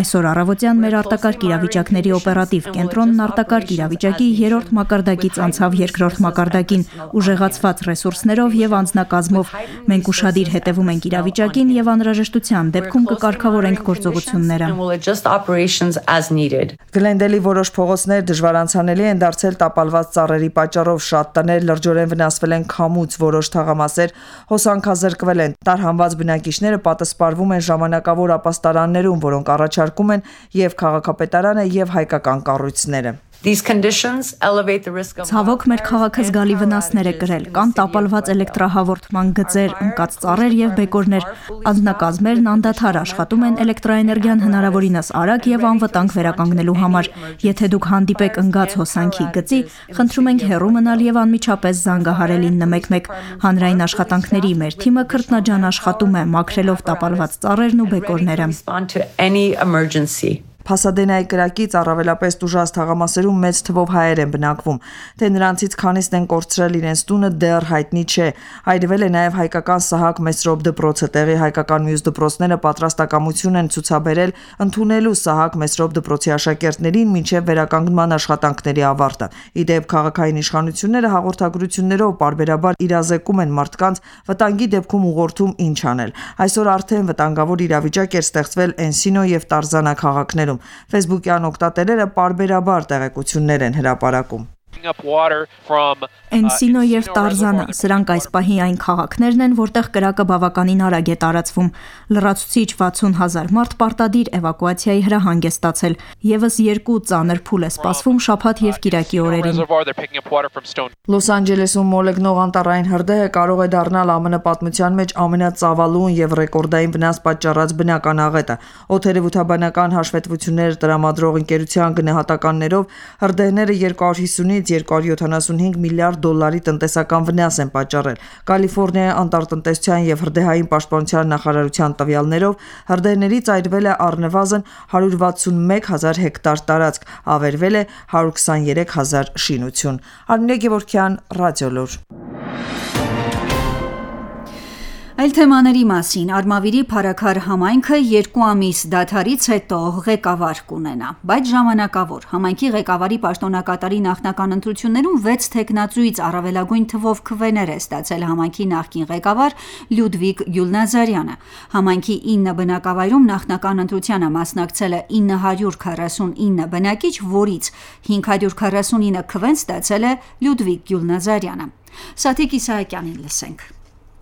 Այսօր առավոտյան մեր արտակարգ իրավիճակների օպերատիվ կենտրոնն արտակարգ իրավիճակի երրորդ մակարդակից անցավ երկրորդ մակարդակին, ուժեղացված ռեսուրսներով եւ անձնակազմով։ Մենք ուշադիր հետևում ենք իրավիճակին եւ անհրաժեշտության դեպքում կկարգավորենք գործողությունները։ Գլենդելի որոշ փողոցներ դժվար անցանելի են դարձել տապալված ծառերի պատճառով, շատ տներ լրջորեն վնասվել են քամուց, որոշ թաղամասեր հոսանքազրկվել են։ Տարհանված բնակիչները պատասպարվում են ժամանակավոր ապաստարաններում, որոնք առաջարկում են եւ քաղաքապետարանը եւ հայկական կառույցները։ These conditions elevate the risk of Ցավոք մեր քաղաքը զգալի վնասներ է կրել, կան տապալված էլեկտրահաղորդման գծեր, ընկած ծառեր եւ բեկորներ։ Անձնակազմերն անդադար աշխատում են էլեկտրաէներգիան հնարավորինս արագ եւ անվտանգ վերականգնելու համար։ Եթե դուք հանդիպեք ընկած հոսանքի գծի, խնդրում ենք հեռու մնալ եւ անմիջապես զանգահարել ինը մեկ մեկ։ Հանրային աշխատանքների մեր թիմը քրտնաջան աշխատում է, մաքրելով տապալված ծառերն ու բեկորները։ Փասադենայի կրակից առավելապես տուժած թաղամասերում մեծ թվով հայեր են բնակվում, թե նրանցից քանիսն են կորցրել իրենց տունը դեռ հայտնի չէ։ Այրվել է նաև հայկական Սահակ Մեսրոպ դպրոցը, տեղի հայկական մյուս դպրոցները պատրաստակամություն են ցուցաբերել ընդունելու Սահակ Մեսրոպ դպրոցի աշակերտներին մինչև վերականգնման աշխատանքների ավարտը։ Ի դեպ քաղաքային իշխանությունները հաղորդագրություններով պարբերաբար իրազեկում են մարդկանց վտանգի դեպքում ուղղորդում ինչ անել։ Այսօր արդեն վտանգավոր իրավիճակ էր ստեղծվել Էնսինո եւ Տարզանա քաղաքներում։ Facebook-յան օգտատերերը պարբերաբար տեղեկություններ են հրապարակում։ Էնսինո եւ Տարզանա, սրանք այս պահի այն քաղաքներն են, որտեղ կրակը բավականին արագ է տարածվում։ Լրացուցիչ վաթսուն հազար մարդ պարտադիր էվակուացիայի հրահանգ է ստացել։ Եվս երկու ծանր փուլ է սպասվում շաբաթ եւ կիրակի օրերին։ Լոս Անջելեսում մոլեգնող անտառային հրդեհը կարող է դառնալ ԱՄՆ պատմության մեջ ամենածավալուն եւ ռեկորդային վնաս պատճառած բնական աղետը։ Օդերևութաբանական հաշվետվություններ տրամադրող ընկերության գնահատականներով հրդեհները երկու հարյուր հիսունից երկու հարյուր յոթանասունհինգ միլիարդ դոլարի տնտեսական վնաս են պատճառել։ Կալիֆոռնիայի անտառտնտեսության եւ հրդեհային պաշտպանության նախարարության տվյալներով հրդեհներից այրվել է առնվազն հարյուր վաթսունմեկ հազար հեկտար տարածք, ավերվել է հարյուր քսաներեք հազար շինություն։ Արմինե Գևորգյան, Ռադիոլուր։ Այլ թեմաների մասին Արմավիրի Փարաքար համայնքը երկու ամիս դադարից հետո ղեկավար կունենա, բայց ժամանակավոր։ Համայնքի ղեկավարի պաշտոնակատարի նախնական ընտրություններում վեց թեկնածուից առավելագույն թվով քվեներ է ստացել համայնքի նախկին ղեկավար Լյուդվիգ Գյուլնազարյանը։ Համայնքի ինը բնակավայրում նախնական ընտրությանը մասնակցել է ինը հարյուր քառասունինը բնակիչ, որից հինգ հարյուր քառասունինը քվեն ստացել է Լյուդվիգ Գյուլնազարյանը։ Սաթիկ Իսահակյանին լսենք։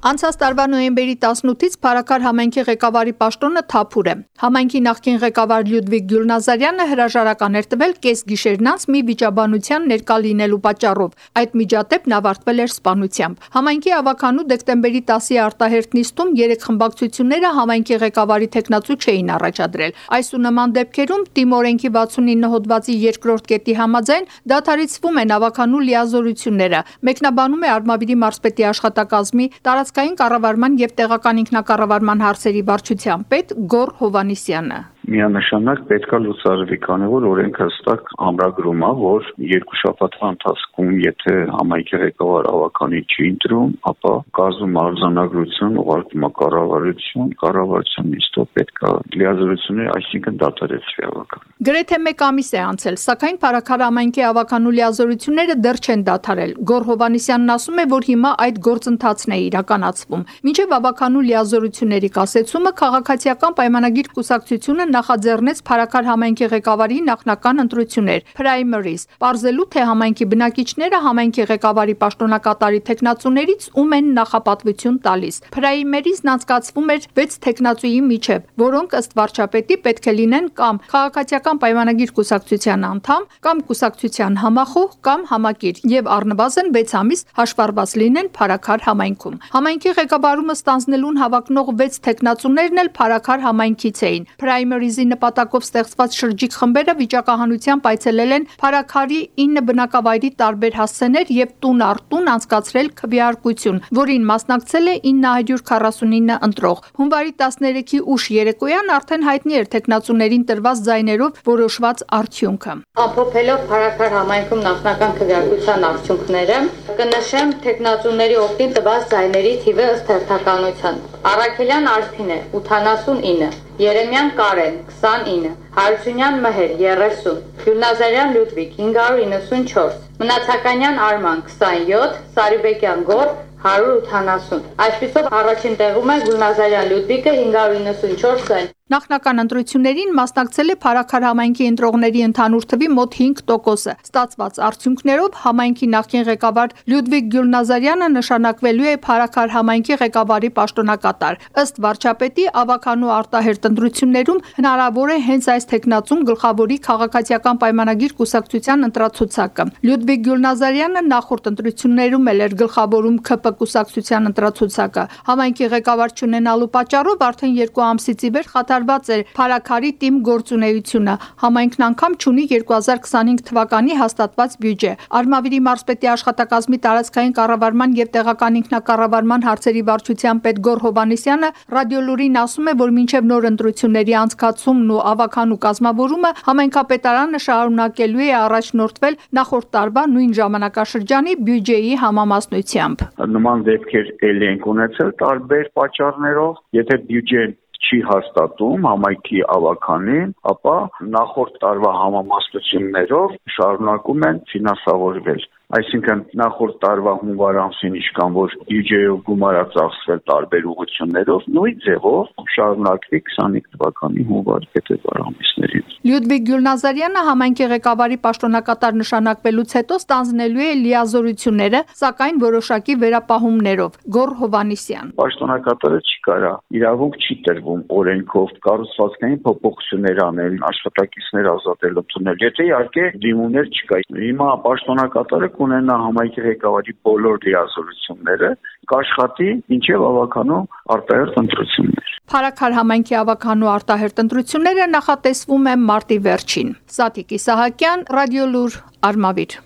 Անցած տարվա նոյեմբերի տասնութից Փարաքար համայնքի ղեկավարի պաշտոնը թափուր է։ Համայնքի նախկին ղեկավար Լյուդվիգ Գյուլնազարյանը հրաժարական էր տվել կես գիշերն անց մի վիճաբանության ներկա լինելու պատճառով։ Այդ միջադեպն ավարտվել էր սպանությամբ։ Համայնքի ավականու դեկտեմբերի տասի արտահերթ նիստում երեք խմբակցությունները համայնքի ղեկավարի թեկնածու չէին առաջադրել։ Այս ու նման դեպքերում Թիմ օրենքի վաթսունինը հոդվածի երկրորդ կետի համաձայն դադարեցվում են ավականու լիազորությունները։ Մեկնաբանում է Արմավիրի մարզպետի աշխատակազմի տարածքային կառավարման եւ տեղական ինքնակառավարման հարցերի վարչության պետ Գոռ Հովանիսյանը։ Միանշանակ պետք է լուծարվի, քանի որ օրենքը հստակ ամրագրում է, որ երկու շաբաթվա ընթացքում, եթե համայնքի ղեկավար ավականի չի ընտրում, ապա կազմում արձանագրություն, ուղարկում է կառավարություն, կառավարության նիստով պետք է լիազորությունները, այսինքն դադարեցվի ավական։ Գրեթե մեկ ամիս է անցել, սակայն Փարաքար համայնքի ավականու լիազորությունները դեռ չեն դադարել։ Գոռ Հովանիսյանն ասում է, որ հիմա այդ գործընթացն է իրականացվում։ Մինչև ավականու լիազորությունների կասեցումը քաղաքացիական պայմանագիր կուսակցությունը նախաձեռնեց Փարաքար համայնքի ղեկավարի նախնական ընտրություններ, primaries, պարզելու թե համայնքի բնակիչները համայնքի ղեկավարի պաշտոնակատարի թեկնածուներից ում են նախապատվություն տալիս։ Primaries-ն անցկացվում էր վեց թեկնածուի միջև, որոնք ըստ վարչապետի պետք է լինեն կամ քաղաքացիական պայմանագիր կուսակցության անդամ, կամ կուսակցության համախոհ կամ համակիր եւ առնվազն վեց ամիս հաշվառված լինեն Փարաքար համայնքում։ Համայնքի ղեկավարումը ստանձնելուն հավակնող վեց թեկնածուներն էլ Փարաքար համայնքից էին։ Primaries-ի նպատակով ստեղծված շրջիկ խմբերը վիճակահանությամբ այցելել են Փարաքարի ինը բնակավայրի տարբեր հասցեներ եւ տուն առ տուն անցկացրել քվեարկություն, որին մասնակցել է ինը հարյուր քառասունինը ընտրող։ Հունվարի տասներեքի ուշ երեկոյան արդեն հայտնի էր թեկնածուներին տրված ձայներով որոշված արդյունքը։ Ամփոփելով Փարաքար համայնքում նախնական քվեարկության արդյունքները, կնշեմ թեկնածուների օգտին տված ձայների թիվը ըստ հերթականության։ Արաքելյան Արփին է ութանասունինը, Երեմյան Կարեն քսանինը, Հարությունյան Մհեր երեսուն, Գյուլնազարյան Լյուդվիգ հինգ հարյուր իննսունչորս, Մնացականյան Արման քսանյոթ, Սարիբեկյան Գոռ հարյուր ութանասուն։ Այսպիսով առաջին տեղում է Գյուլնազարյան Լյուդվիգը հինգ հարյուր իննսունչորս ձայն։ Նախնական ընտրություններին մասնակցել է Փարաքար համայնքի ընտրողների ընդհանուր թվի մոտ հինգ տոկոսը։ Ստացված արդյունքներով համայնքի նախկին ղեկավար Լյուդվիգ Գյուլնազարյանը նշանակվելու է Փարաքար համայնքի ղեկավարի պաշտոնակատար։ Ըստ վարչապետի, ավականու արտահերթ ընտրություններում հնարավոր է հենց այս թեկնածուն գլխավորի քաղաքացիական պայմանագիր կուսակցության ընտրացուցակը։ Լյուդվիգ Գյուլնազարյանը նախորդ ընտրություններում էլ էր գլխավորում ՔՊ կուսակցության ընտրացուցակը։ Համայնքի ղեկավար չունենալու պատճառով արդեն երկու ամսից ի վեր խաթարված էր Փարաքարի թիմ գործունեությունը։ Համայնքն անգամ չունի երկու հազար քսանհինգ թվականի հաստատված բյուջե։ Արմավիրի մարզպետի աշխատակազմի տարածքային կառավարման եւ տեղական ինքնակառավարման հարցերի վարչության պետ Գոռ Հովանիսյանը Ռադիոլուրին ասում է, որ մինչև նոր ընտրությունների անցկացումն ու ավականու կազմավորումը համայնքապետարանը շարունակելու է առաջնորդվել նախորդ տարվա նույն ժամանակաշրջանի բյուջեի համամասնությամբ։ Նման դեպքեր ելի են ունեցել տարբեր պատճառներով, եթե բյուջեն չի հաստատում համայնքի ավականին, ապա նախորդ տարվա համամասնություններով շարունակում են ֆինանսավորվել։ Այսինքն նախորդ տարվա հունվար ամսին ինչքան որ բյուջեով գումար է ծախսվել տարբեր ուղղություններով, նույն ձևով շարունակվի քսանհինգ թվականի հունվար փետրվար ամիսներին։ Լյուդվիգ Գյուլնազարյանը համայնքի ղեկավարի պաշտոնակատար նշանակվելուց հետո ստանձնելու է լիազորությունները, սակայն որոշակի վերապահումներով։ Գոռ Հովանիսյան։ Պաշտոնակատարը չի կարա, իրավունք չի տրվում օրենքով կառուցվածքային փոփոխություններ անել, աշխատակիցներ ազատել ընդունել։ Եթե իհարկե դիմումներ չկա, հիմա պաշտոնակատարը կունենա համայնքի ղեկավարի բոլոր լիազորությունները, կաշխատի մինչև ավականու արտահերթ ընտրություններ։ Փարաքար համայնքի ավականու արտահերթ ընտրությունները նախատեսվում է մարտի վերջին։ Սաթիկ Իսահակյան, Ռադիոլուր, Արմավիր։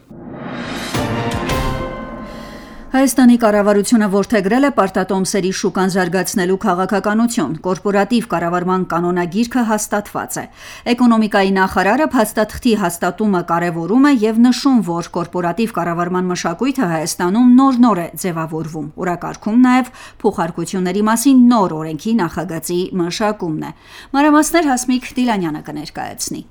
Հայաստանի կառավարությունը որդեգրել է պարտատոմսերի շուկան զարգացնելու քաղաքականություն։ Կորպորատիվ կառավարման կանոնագիրքը հաստատված է։ Էկոնոմիկայի նախարարը փաստաթղթի հաստատումը կարևորում է եւ նշում, որ կորպորատիվ կառավարման մշակույթը Հայաստանում նոր-նոր է ձևավորվում։ Օրակարգում նաեւ փոխարկությունների մասին նոր օրենքի նախագծի մշակումն է։ Մանրամասներ Հասմիկ Դիլանյանը կներկայացնի։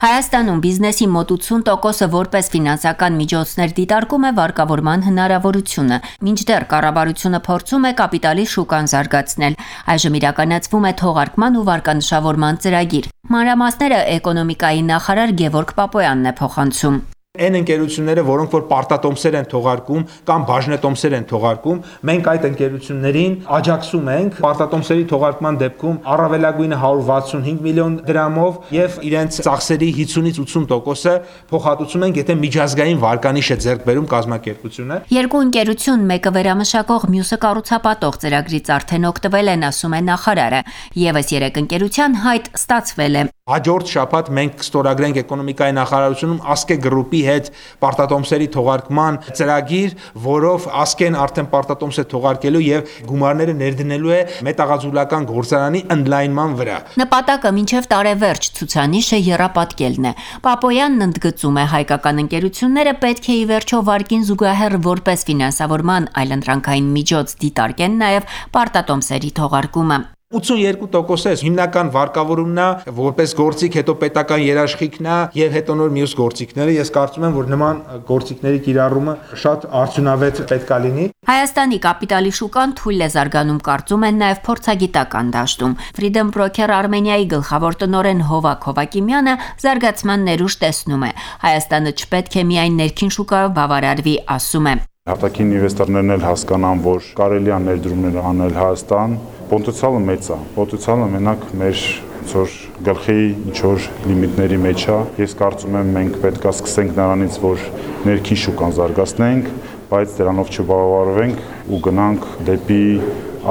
Հայաստանում բիզնեսի մոտ ութուն տոկոսը որպես ֆինանսական միջոցներ դիտարկում է վարկավորման հնարավորությունը, մինչդեռ կառավարությունը փորձում է կապիտալի շուկան զարգացնել։ Այժմ իրականացվում է թողարկման ու վարկանշավորման ծրագիր։ Մանրամասները էկոնոմիկայի նախարար Գևորգ Պապոյանն է փոխանցում։ Այն ընկերությունները, որոնք որ պարտատոմսեր են թողարկում կամ բաժնետոմսեր են թողարկում, մենք այդ ընկերություններին աջակցում ենք պարտատոմսերի թողարկման դեպքում առավելագույնը հարյուր վաթսունհինգ միլիոն դրամով եւ իրենց ծախսերի հիսունից ութսուն տոկոսը փոխհատուցում ենք, եթե միջազգային վարկանիշ է ձեռք բերում կազմակերպությունը։ Երկու ընկերություն, մեկը վերամշակող, մյուսը կառուցապատող ծրագրից արդեն օգտվել են, ասում է նախարարը։ Եվս երեք ընկերության հայտ ստացվել է։ Հաջորդ շաբաթ մենք կստորագրենք էկոնոմիկայի նախարարությունում Ասկե գրուպի հետ պարտատոմսերի թողարկման ծրագիր, որով Ասկեն արդեն պարտատոմս է թողարկելու եւ գումարները ներդնելու է մետաղաձուլական գործարանի ընդլայնման վրա։ Նպատակը մինչև տարեվերջ ցուցանիշը եռապատկելն է։ Պապոյանն ընդգծում է, հայկական ընկերությունները պետք է ի վերջո վարկին զուգահեռ որպես ֆինանսավորման այլընտրանքային միջոց դիտարկեն նաեւ պարտատոմսերի թողարկումը։ ութսունյոթ տոկոս է հիմնական վարկավորումն է, որպես գործիք, հետո պետական երաշխիքն է եւ հետո նոր մյուս գործիքները։ Ես կարծում եմ, որ նման գործիքների կիրառումը շատ արդյունավետ պետք է լինի։ Հայաստանի կապիտալի շուկան թույլ է զարգանում, կարծում են նաեւ փորձագիտական դաշտում։ Freedom Broker Armenia-ի գլխավոր տնօրեն Հովակ Հովակիմյանը զարգացման ներուժ տեսնում է։ Հայաստանը չպետք է միայն ներքին շուկայով բավարարվի, ասում է։ Հատակին ինվեստորներն էլ հասկանան, որ կարելի է ներդրումներ անել Հայաստան, պոտենցիալը մեծ է։ Պոտենցիալը մենակ մեր ինչ-որ գլխի ինչ-որ լիմիտների մեջ է։ Ես կարծում եմ մենք պետք է սկսենք նրանից, որ ներքին շուկան զարգացնենք, բայց դրանով չբավարարվենք ու գնանք դեպի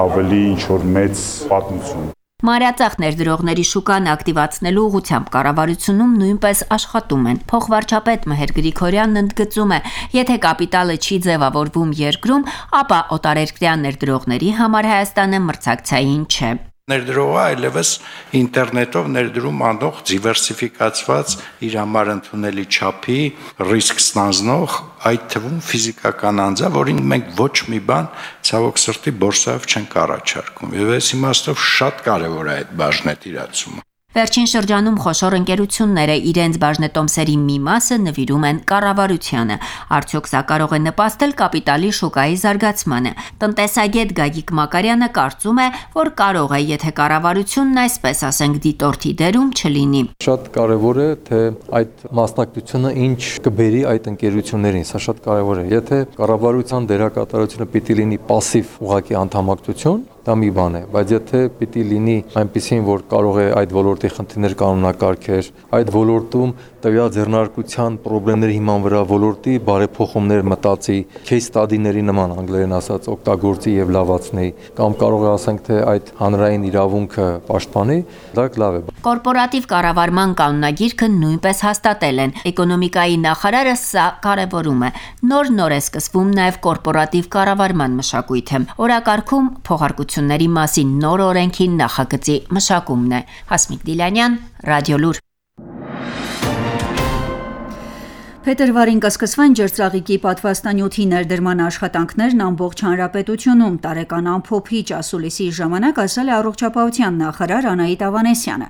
ավելի ինչ-որ մեծ պատմություն։ Մանրածախ ներդրողների շուկան ակտիվացնելու ուղղությամբ կառավարությունում նույնպես աշխատում են։ Փոխվարչապետ Մհեր Գրիգորյանն ընդգծում է, եթե կապիտալը չի ձևավորվում երկրում, ապա օտարերկրյա ներդրողների համար Հայաստանը մրցակցային չէ։ Ներդրողը այլևս ինտերնետով ներդրում անող դիվերսիֆիկացված իր համար ընդունելի չափի ռիսկ ստանձնող, այդ թվում ֆիզիկական անձ է, որին մենք ոչ մի բան ցավոք սրտի բորսայով չենք առաջարկում։ Եվ այս իմաստով շատ կարևոր է այդ բաժնետիրացումը։ Վերջին շրջանում խոշոր ընկերությունները իրենց բաժնետոմսերի մի մասը նվիրում են կառավարությանը։ Արդյոք սա կարող է նպաստել կապիտալի շուկայի զարգացմանը։ Տնտեսագետ Գագիկ Մակարյանը կարծում է, որ կարող է, եթե կառավարությունն այսպես ասենք դիտորդի դերում չլինի։ Շատ կարևոր է, թե այդ մասնակցությունը ինչ կբերի այդ ընկերություններին, սա շատ կարևոր է։ Եթե կառավարության դերակատարությունը պիտի լինի пассив ուղղակի անդամակցություն, դա մի բան է, բայց եթե պիտի լինի այնպեսին, որ կարող է այդ ոլորտի խնդիրներ կանոնակարգեր, այդ ոլորտում տվյալ ձեռնարկության խնդիրների հիման վրա ոլորտի բարեփոխումներ մտածի, case study-ների նման անգլերեն ասած օգտագործի եւ լավացնի, կամ կարող է ասենք թե այդ հանրային իրավունքը պաշտպանի, դա լավ է։ Կորպորատիվ կառավարման կանոնագիրքը նույնպես հաստատել են։ Էկոնոմիկայի նախարարը սա կարևորում է։ Նոր-նոր է սկսվում նաեւ կորպորատիվ կառավարման մշակույթը։ Օրակարգում փոխարկությունների մասին նոր օրենքի նախագծի մշակումն է։ Հասմիկ Դիլանյան, Ռադիոլուր։ Փետրվարին կսկսվեն ջրծաղիկի պատվաստանյութի ներդրման աշխատանքներն ամբողջ հանրապետությունում, տարեկան ամփոփիչ ասուլիսի ժամանակ ասել է առողջապահության նախարար Անահիտ Ավանեսյանը։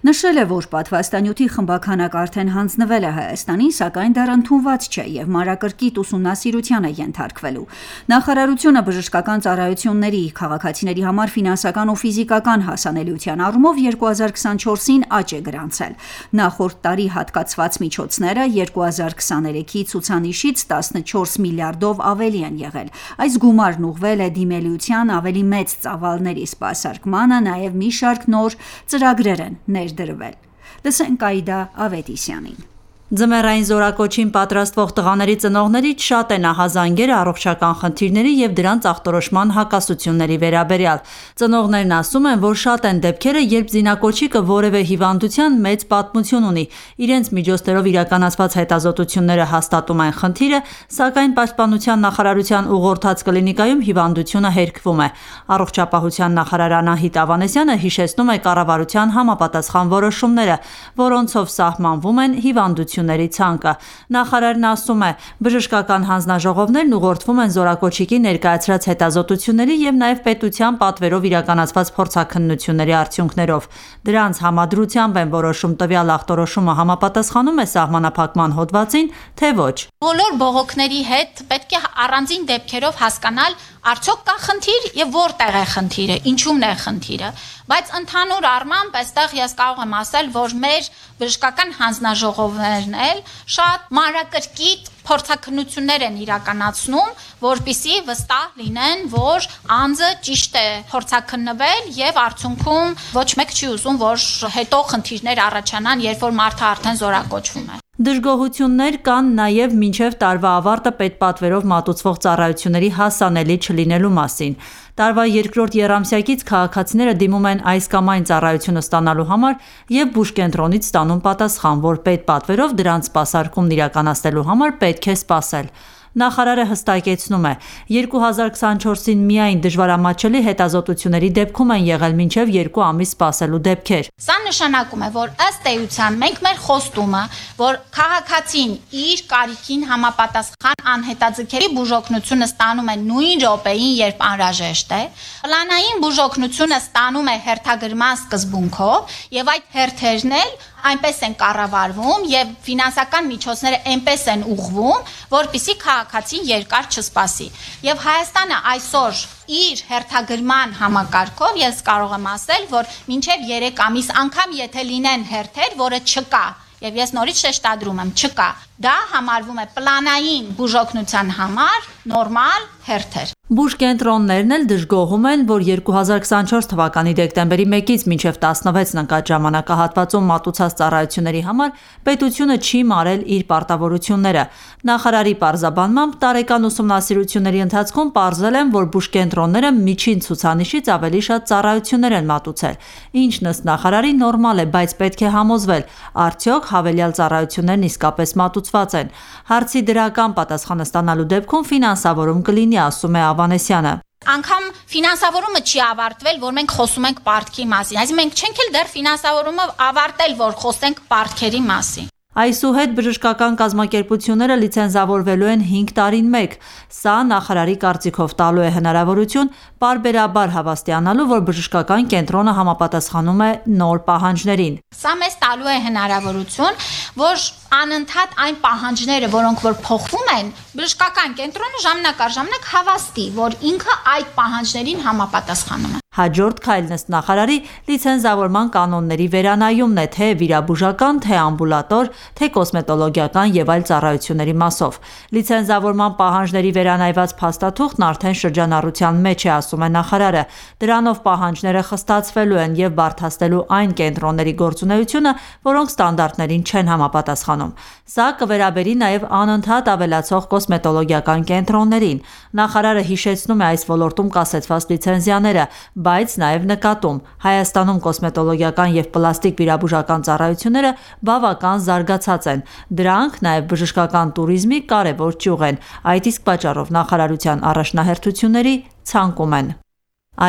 Նշել է, որ պատվաստանյութի խմբաքանակ արդեն հանձնվել է Հայաստանին, սակայն դեռ ընդունված չէ եւ մանրակրկիտ ուսումնասիրության է ենթարկվելու։ Նախարարությունը բժշկական ծառայությունների քաղաքացիների համար ֆինանսական ու ֆիզիկական հասանելիության առումով երկու հազար քսանչորսին աճ է գրանցել։ Նախորդ տարի հատկացված միջոցները երկու հազար քսաներեքի ցուցանիշից տասնչորս միլիարդով ավելի են եղել։ Այս գումարն ուղղվել է դիմելիության ավելի մեծ ծավալների սպասարկմանը, նաև մի շարք նոր ծրագրեր են ներդրվել։ Լսենք Այդա Ավետիսյանին։ Ձմեռային զորակոչին պատրաստվող տղաների ծնողներից շատ են ահազանգերը առողջական խնդիրների եւ դրանց ախտորոշման հակասությունների վերաբերյալ։ Ծնողներն ասում են, որ շատ են դեպքերը, երբ զինակոչիկը որևէ հիվանդության մեծ պատմություն ունի, իրենց միջոցներով իրականացված հետազոտությունները հաստատում են խնդիրը, սակայն Պաշտպանության նախարարության ուղղորդած կլինիկայում հիվանդությունը հերկվում է։ Առողջապահության նախարար Անահիտ Ավանեսյանը հիշեցնում է կառավարության համապատասխան որոշումները, որոնցով սահմանվում են հիվանդություն ցանկը։ Նախարարն ասում է, բժշկական հանձնաժողովներն ուղղորդվում են զորակոչիկի ներկայացրած հետազոտությունների եւ նաեւ պետության պատվերով իրականացված փորձաքննությունների արդյունքներով։ Դրանց համադրությամբ են որոշում տվյալ ախտորոշումը համապատասխանում է սահմանափակման հոդվածին, թե ոչ։ Բոլոր բողոքների հետ պետք է առանձին դեպքերով հասկանալ, արդյոք կա խնդիր եւ որտեղ է խնդիրը, ինչումն է խնդիրը։ Բայց ընդհանուր առմամբ այստեղ ես կարող եմ ասել, որ մեր բժշկական հանձնաժողովներն էլ շատ մանրակրկիտ փորձաքննություններ են իրականացնում, որպեսզի վստահ լինեն, որ անձը ճիշտ է փորձաքննվել եւ արդյունքում ոչ մեկ չի ուզում, որ հետո խնդիրներ առաջանան, երբ որ մարդը արդեն զորակոչվում է։ Դժգոհություններ կան նաև մինչև տարվա ավարտը պետպատվերով մատուցվող ծառայությունների հասանելի չլինելու մասին։ Տարվա երկրորդ եռամսյակից քաղաքացիները դիմում են այս կամ այն ծառայությունը ստանալու համար եւ բուժկենտրոնից ստանում պատասխան, որ պետպատվերով դրանց սպասարկումն իրականացնելու համար պետք է սպասել։ Նախարարը հստակեցնում է, երկու հազար քսանչորսին միայն դժվարամատչելի հետազոտությունների դեպքում են եղել մինչև երկու ամիս սպասելու դեպքեր։ Սա նշանակում է, որ ըստ էության մենք մեր խոստումը, որ քաղաքացին իր կարիքին համապատասխան անհետաձգելի բուժօգնությունը ստանում է նույն րոպեին, երբ անհրաժեշտ է, պլանային բուժօգնությունը ստանում է հերթագրման սկզբունքով եւ այդ հերթերն էլ այնպես են կառավարվում եւ ֆինանսական միջոցները այնպես են ուղղվում, որպեսզի քաղաքացին երկար չսպասի։ Եվ Հայաստանը այսօր իր հերթագրման համակարգով ես կարող եմ ասել, որ մինչև երեք ամիս անգամ եթե լինեն հերթեր, որը չկա, եւ ես նորից շեշտադրում եմ, չկա, դա համարվում է պլանային բուժօգնության համար նորմալ հերթեր։ Բուժկենտրոններն էլ դժգոհում են, որ երկու հազար քսանչորս թվականի դեկտեմբերի մեկից մինչև տասնվեցն ընկած ժամանակահատվածում մատուցած ծառայությունների համար պետությունը չի մարել իր պարտավորությունները։ Նախարարի պարզաբանմամբ տարեկան ուսումնասիրությունների ընթացքում պարզել են, որ բուժկենտրոնները միջին ցուցանիշից ավելի շատ ծառայություններ են մատուցել, ինչն ըստ նախարարի նորմալ է, բայց պետք է համոզվել, արդյոք հավելյալ ծառայություններն իսկապես մատուցված են։ Հարցի դրական պատասխանը ստանալու դեպքում ֆինանսավորում կլինի, ասում է Ավանեսյանը։ Անկամ ֆինանսավորումը չի ավարտվել, որ մենք խոսում ենք պարտքի մասին։ Այսինքն մենք չենք էլ դեռ ֆինանսավորումը ավարտել, որ խոսենք պարտքերի մասին։ Այսուհետ բժշկական կազմակերպությունները լիցենզավորվելու են հինգ տարին մեկ։ Սա նախարարի կարծիքով տալու է հնարավորություն պարբերաբար հավաստիանալու, որ բժշկական կենտրոնը համապատասխանում է նոր պահանջներին։ Սա մեզ տալու է հնարավորություն, որ անընդհատ այն պահանջները, որոնք որ փոխվում են, բժշկական կենտրոնը ժամանակ առ ժամանակ հավաստի, որ ինքը այդ պահանջներին համապատասխանում է։ Հաջորդ քայլն ըստ նախարարի լիցենզավորման կանոնների վերանայումն է, թե վիրաբուժական, թե ամբուլատոր, թե կոսմետոլոգիական եւ այլ ծառայությունների մասով։ Լիցենզավորման պահանջների վերանայված փաստաթուղթն արդեն շրջանառության մեջ է, ասում է նախարարը։ Դրանով պահանջները խստացվելու են եւ բարդացնելու այն կենտրոնների գործունեությունը, որոնք ստանդարտներին չեն համապատասխանում։ Սա կվերաբերի նաեւ անընդհատ ավելացող կոսմետոլոգիական կենտրոններին։ Նախարարը հիշեցնում է այս ոլորտում կասեցված լիցենզիաները, բայց նաև նկատում, Հայաստանում կոսմետոլոգիական եւ պլաստիկ վիրաբուժական ծառայությունները բավական զարգացած են։ Դրանք նաև բժշկական туриզմի կարևոր ճյուղ են։ Այդ իսկ պատճառով նախարարության առաջնահերթությունների ցանկում են։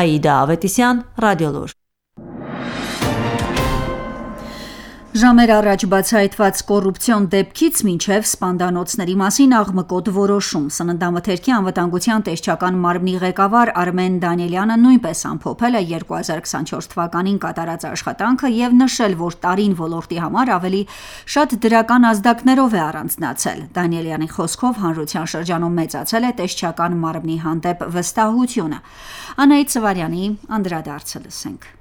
Այդա Ավետիսյան, Ռադիոլուր։ Ժամեր առաջ բացահայտված կոռուպցիոն դեպքից մինչև սպանդանոցների մասին աղմկոտ որոշում։ Սննդամթերքի անվտանգության տեսչական մարմնի ղեկավար Արմեն Դանիելյանը նույնպես ամփոփել է երկու հազար քսանչորս թվականին կատարած աշխատանքը եւ նշել, որ տարին ոլորտի համար ավելի շատ դրական ազդակներով է առանձնացել։ Դանիելյանի խոսքով հանրության շրջանում մեծացել է տեսչական մարմնի հանդեպ վստահությունը։ Անահիտ Սվարյանի անդրադարձը լսենք։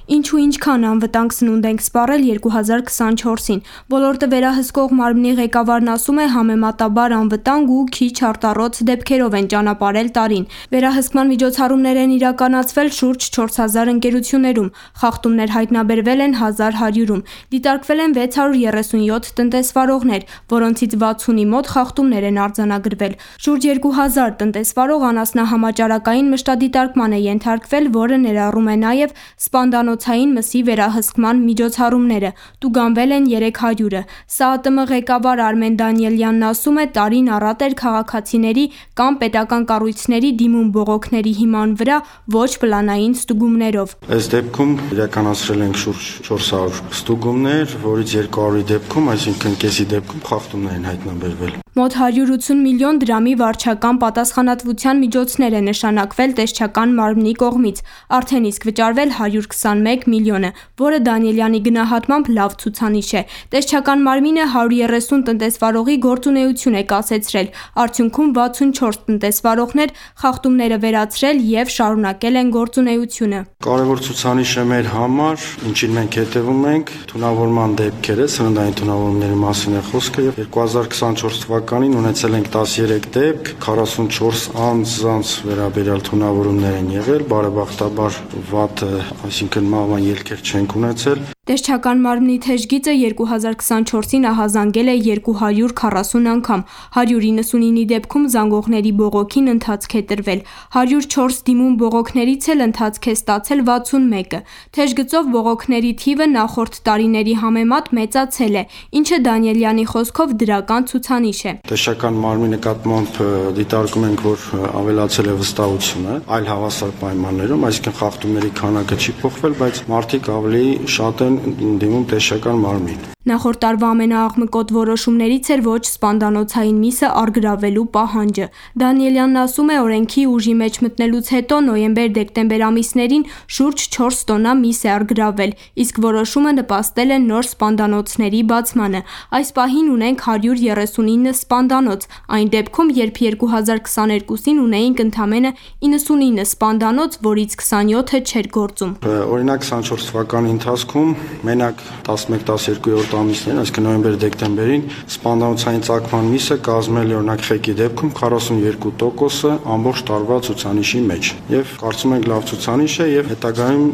Ինչու ինչքան անվտանգ սնունդ ենք սպառել երկու հազար քսանչորսին։ Ոլորտը վերահսկող մարմնի ղեկավարն ասում է, համեմատաբար անվտանգ ու քիչ արտառոց դեպքերով են ճանապարհել տարին։ Վերահսկման միջոցառումներ են իրականացվել շուրջ չորս հազար ընկերություններում, խախտումներ հայտնաբերվել են հազար հարյուրում, դիտարկվել են վեց հարյուր երեսունյոթ տնտեսվարողներ, որոնցից վաթսունի մոտ խախտումներ են արձանագրվել։ Շուրջ երկու հազար տնտեսվարող անասնահամաճարակային մշտադիտարկման է ենթարկվել, որը ներառում է նաև սպանդանոց մսի վերահսկման միջոցառումները, տուգանվել են երեք հարյուրը։ ՍԱԱՏՄ ղեկավար Արմեն Դանիելյանն ասում է, տարին առատ էր քաղաքացիների կամ պետական կառույցների դիմում բողոքների հիման վրա ոչ պլանային ստուգումներով։ Այս դեպքում իրականացրել ենք շուրջ չորս հարյուր ստուգումներ, որից երկու հարյուրի դեպքում, այսինքն կեսի դեպքում խախտումներ են հայտնաբերվել։ Մոտ հարյուր ութսուն միլիոն դրամի վարչական պատասխանատվության միջոցներ է նշանակվել տեսչական մարմնի կողմից, արդեն իսկ վճարվել հարյուր քսանմեկ միլիոնը, որը Դանիելյանի գնահատմամբ լավ ցուցանիշ է։ Տեսչական մարմինը հարյուր երեսուն տնտեսվարողի գործունեություն է կասեցրել, արդյունքում վաթսունչորս տնտեսվարողներ խախտումները վերացրել եւ շարունակել են գործունեությունը։ Կարևոր ցուցանիշ է մեր համար, ինչին մենք հետևում ենք, թունավորման դեպքերը, սննդային թունավորումների մասին է խոսքը եւ երկու հազար քսանչորս թվականին ունեցել ենք տասներեք դեպք, քառասունչորս անձանց վերաբերյալ թունավորումներ են եղել, բարեբախտաբար վատը, այսինքն մահվան ելքեր չենք ունեցել։ Տեսչական մարմնի թեժգիծը երկու հազար քսանչորսին ահազանգել է երկու հարյուր քառասուն անգամ, հարյուր իննսունինի դեպքում զանգողների բողոքին ընթացք է տրվել, հարյուր չորս դիմում բողոքներից էլ ընթացք է ստացել վաթսունմեկը։ Թեժգծով բողոքների թիվը նախորդ տարիների համեմատ մեծացել է, ինչը Դանիելյանի խոսքով դրական ցուցանիշ է։ Տեսչական մարմնի նկատմամբ դիտարկում ենք, որ ավելացել է վստահությունը այլ հավասար պայմաններում, այսինքն խախտումների քանակը չի փոխվել, բայց մարդիկ ավելի շատ են դիմում տեսչական մարմին։ Նախորդ տարվա ամենաաղմկոտ որոշումներից էր ոչ սպանդանոցային միսը առգրավելու պահանջը։ Դանիելյանն ասում է, օրենքի ուժի մեջ մտնելուց հետո նոյեմբեր-դեկտեմբեր ամիսներին շուրջ չորս տոննա միս է առգրավել, իսկ որոշումը նպաստել է նոր սպանդանոցների բացմանը։ Այս պահին ունենք հարյուր երեսունինը սպանդանոց, այն դեպքում, երբ երկու հազար քսաներկուսին ունեինք ընդամենը իննսունինը սպանդանոց, որից քսանյոթը չէր գործում։ Օրինակ քսանչորս թվականի ընթացքում մենակ տասնմեկ տասներկու ամիսներին, այսինքն նոյեմբեր-դեկտեմբերին սպանդանոցային ծագման միսը կազմել է օրինակ խեկի դեպքում քառասունյոթ տոկոսը ամբողջ տարվա ցուցանիշի մեջ։ Եվ կարծում ենք լավ ցուցանիշ է եւ հետագայում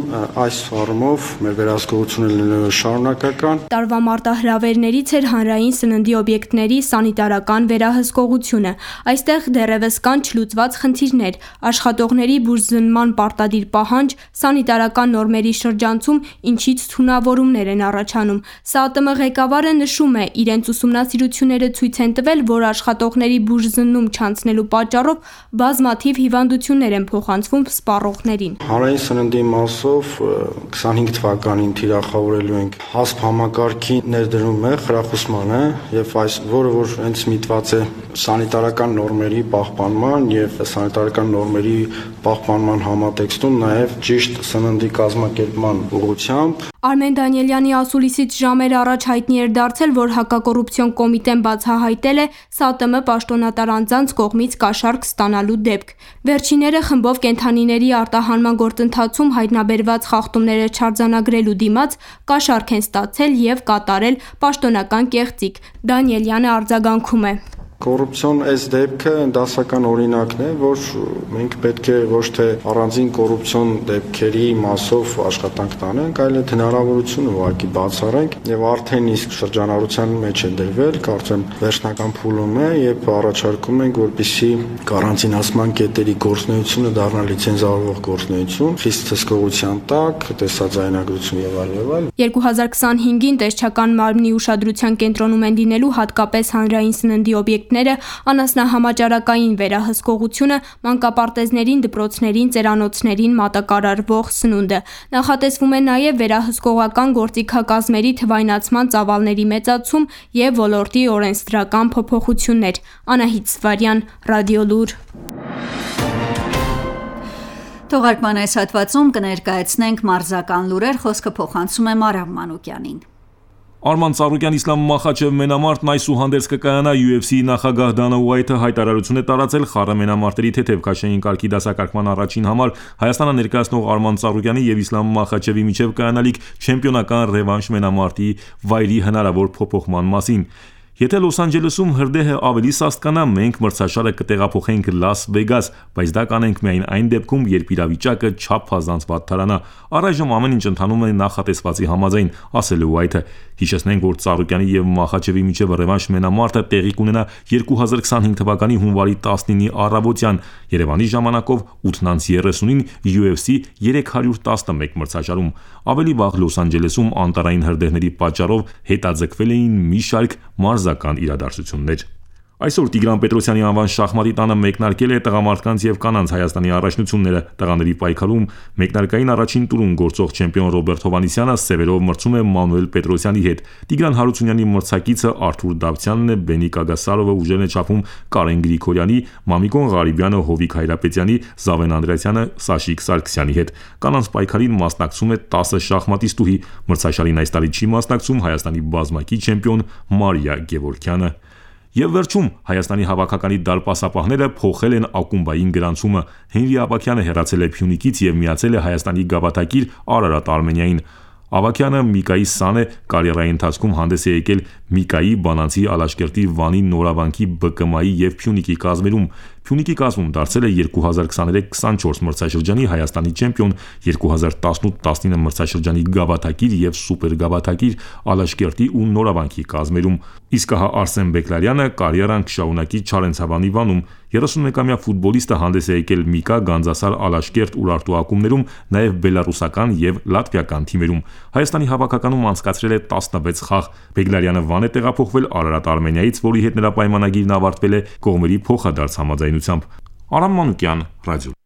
այս առումով մեր վերահսկողությունը լինելու շարունակական։ Տարվա մարտահրավերներից էր հանրային սննդի օբյեկտների սանիտարական վերահսկողությունը։ Այստեղ դեռևս կան չլուծված խնդիրներ, աշխատողների բուժզնման պարտադիր պահանջ, սանիտարական նորմերի շրջանցում, ինչից թունավորումներ են առաջանում։ ՍԱԱՏՄ ղեկավարը նշում է, իրենց ուսումնասիրությունները ցույց են տվել, որ աշխատողների բուժզննում չանցնելու պատճառով բազմաթիվ հիվանդություններ են փոխանցվում սպառողներին։ Հանրային սննդի մասով քսանհինգ թվականին թիրախավորելու ենք հասպ համակարգի ներդրումը, խրախուսմանը եւ այս որը որ հենց միտված է սանիտարական նորմերի պահպանման եւ սանիտարական նորմերի պահպանման համատեքստում նաեւ ճիշտ սննդի կազմակերպման ուղղությամբ։ Արմեն Դանիելյանի ասուլիսից ժամեր առաջ հայտնի էր դարձել, որ հակակոռուպցիոն կոմիտեն բացահայտել է ՍԱԱՏՄ պաշտոնատար անձանց կողմից կաշառք ստանալու դեպք։ Վերջինները խմբով կենդանիների արտահանման գործընթացում հայտնաբերված խախտումները չարձանագրելու դիմաց կաշառք են ստացել եւ կատարել պաշտոնական կեղծիք։ Դանիելյանը արձագանքում է. Կոռուպցիոն այս դեպքը դասական օրինակն է, որ մենք պետք է ոչ թե առանձին կոռուպցիոն դեպքերի մասով աշխատանք տանենք, այլ այդ հնարավորությունը ուղղակի բացառենք եւ արդեն իսկ շրջանառության մեջ է դրվել, կարծեմ վերջնական փուլում է եւ առաջարկում ենք, որպեսզի կարանտինացման կետերի գործունեությունը դառնա լիցենզավորող գործունեություն, խիստ հսկողության տակ, տեսաձայնագրություն եւ այլ եւ այլ։ երկու հազար քսանհինգին տեսչական մարմնի ուշադրության կենտրոնում են լինելու հատկապես հանրային սննդի օբյեկտներ օրենքները, անասնահամաճարակային վերահսկողությունը, մանկապարտեզներին, դպրոցներին, ծերանոցներին մատակարարվող սնունդը։ Նախատեսվում է նաև վերահսկողական գործիքակազմերի թվայնացման ծավալների մեծացում եւ ոլորտի օրենսդրական փոփոխություններ։ Անահիտ Սվարյան, Ռադիոլուր։ Թողարկման այս հատվածում կներկայացնենք մարզական լուրեր, խոսքը փոխանցում է Մարամ Մանուկյանին։ Արման Ծառուկյան Իսլամ Մախաչև մենամարտն այսուհանդերձ կկայանա յու էֆ սի-ի նախագահ Դանա Ուայթը հայտարարություն է տարածել խառը մենամարտերի թեթև քաշային կարգի դասակարգման առաջին համար Հայաստանը ներկայացնող Արման Ծառուկյանի եւ Իսլամ Մախաչևի միջև կայանալիք չեմպիոնական ռևանշ մենամարտի վայրի հնարավոր փոփոխման մասին։ Եթե Լոս Անջելեսում հրդեհը ավելի սաստկանա, մենք մրցաշարը կտեղափոխենք Լաս Վեգաս, բայց դա կանենք միայն այն դեպքում, երբ իրավիճակը չափազանց վատթարանա։ Առայժմ ամեն ինչ ընթանում է նախատեսվածի համաձայն, ասել է Ուայթը։ Հիշեցնենք, որ Ծառուկյանի եւ Մախաչևի միջև ռևանշ մենամարտը տեղի կունենա երկու հազար քսանհինգ թվականի հունվարի տասնինի առավոտյան Երևանի ժամանակով ութ երեսունին յու էֆ սի երեք հարյուր տասնմեկ մրցաշարում։ Ավելի վաղ Լոս Անջելեսում անտարային հրդեհների պատճառով հետաձգվել էին մի շարք մարզական իրադարձություններ։ Այսօր Տիգրան Պետրոսյանի անվան շախմատի տանը մեկնարկել է տղամարդկանց եւ կանանց Հայաստանի առաջնությունները։ Տղաների պայքարում մեկնարկային առաջին տուրում գործող չեմպիոն Ռոբերտ Հովանեսյանը սևերով մրցում է Մանուել Պետրոսյանի հետ։ Տիգրան Հարությունյանի մրցակիցը Արթուր Դավթյանն է, Բենի Կագասարովը ուժեն է չափում Կարեն Գրիգորյանի, Մամիկոն Ղարիբյանը Հովիկ Հայրապետյանի, Զավեն Անդրեասյանը Սաշիկ Սարգսյանի հետ։ Կանանց պայքարին մասնակցում է տասը շախմատիստուհի։ Մրցաշարին այս տարի չի մասնակցում Հայաստանի բազմակի չեմպիոն Մարիա Գևորգյանը։ Եվ վերջում Հայաստանի հավաքականի դարպասապահները փոխել են ակումբային գրանցումը։ Հենրի Աբակյանը հեռացել է Փյունիկից եւ միացել է Հայաստանի գավաթակիր Արարատ Արմենիային։ Ավակյանը Միկայի սան է կարիերայի ընթացքում հանդես է եկել Միկայի, Բանանցի, Ալաշկերտի, Վանի, Նորավանքի, Բ Կ M-ի եւ Փյունիկի կազմերում։ Փյունիկի կազմում դարձել է երկու հազար քսաներեք քսանչորս մրցաշրջանի Հայաստանի չեմպիոն, երկու հազար տասնութ տասնինը մրցաշրջանի գավաթակիր եւ սուպեր գավաթակիր Ալաշկերտի ու Նորավանքի կազմերում։ Իսկ հա Արսեն Բեկլարյանը կարիերան կշարունակի Չարենցավանի Վանում։ երեսունմեկամյա ֆուտբոլիստը հանդես է եկել Միկա, Գանձասար, Ալաշկերտ, Ուրարտու ակումբներում, նաև բելարուսական եւ լատվիական թիմերում։ Հայաստանի հավաքականում անցկացրել է տասնվեց խաղ։ Բեկլարյանը Վան է տեղափոխվել Արարատ Արմենիայից, որի հետ նրա պայմանագիրն ավարտվել է կողմերի փոխադարձ համաձայնությամբ։ Արամ Մանուկյան, Ռադիո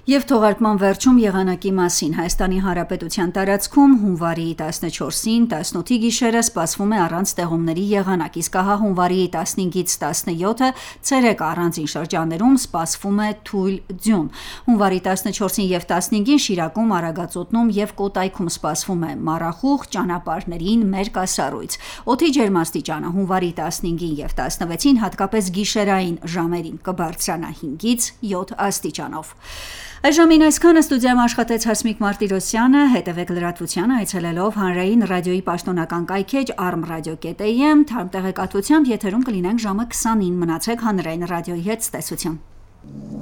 Եվ թողարկման վերջում եղանակի մասին Հայաստանի Հանրապետության տարածքում հունվարի տասնչորսին տասնութի գիշերը սպասվում է առանց տեղումների եղանակ, իսկ հա հունվարի տասնհինգից տասնյոթը ցերեկ առանձին շրջաններում սպասվում է թույլ ձյուն։ Հունվարի տասնչորսին եւ տասնհինգին Շիրակում, Արագածոտնում եւ Կոտայքում սպասվում է մառախուղ, ճանապարհներին մերկասառույց։ Օդի ջերմաստիճանը հունվարի տասնհինգին եւ տասնվեցին հատկապես գիշերային ժամերին կբարձրանա հինգից յոթ աստիճանով։ Այժմին այսքանը ստուդիայում աշխատեց Հասմիկ Մարտիրոսյանը, հետևեք լրատվությանը այցելելով հանրային ռադիոյի պաշտոնական կայքեջ arm radio dot a m, թարմ տեղեկատվությամբ եթերում կլինենք ժամը քսանին, մնացեք հանրային ռադիոյի հետ, ցտեսություն։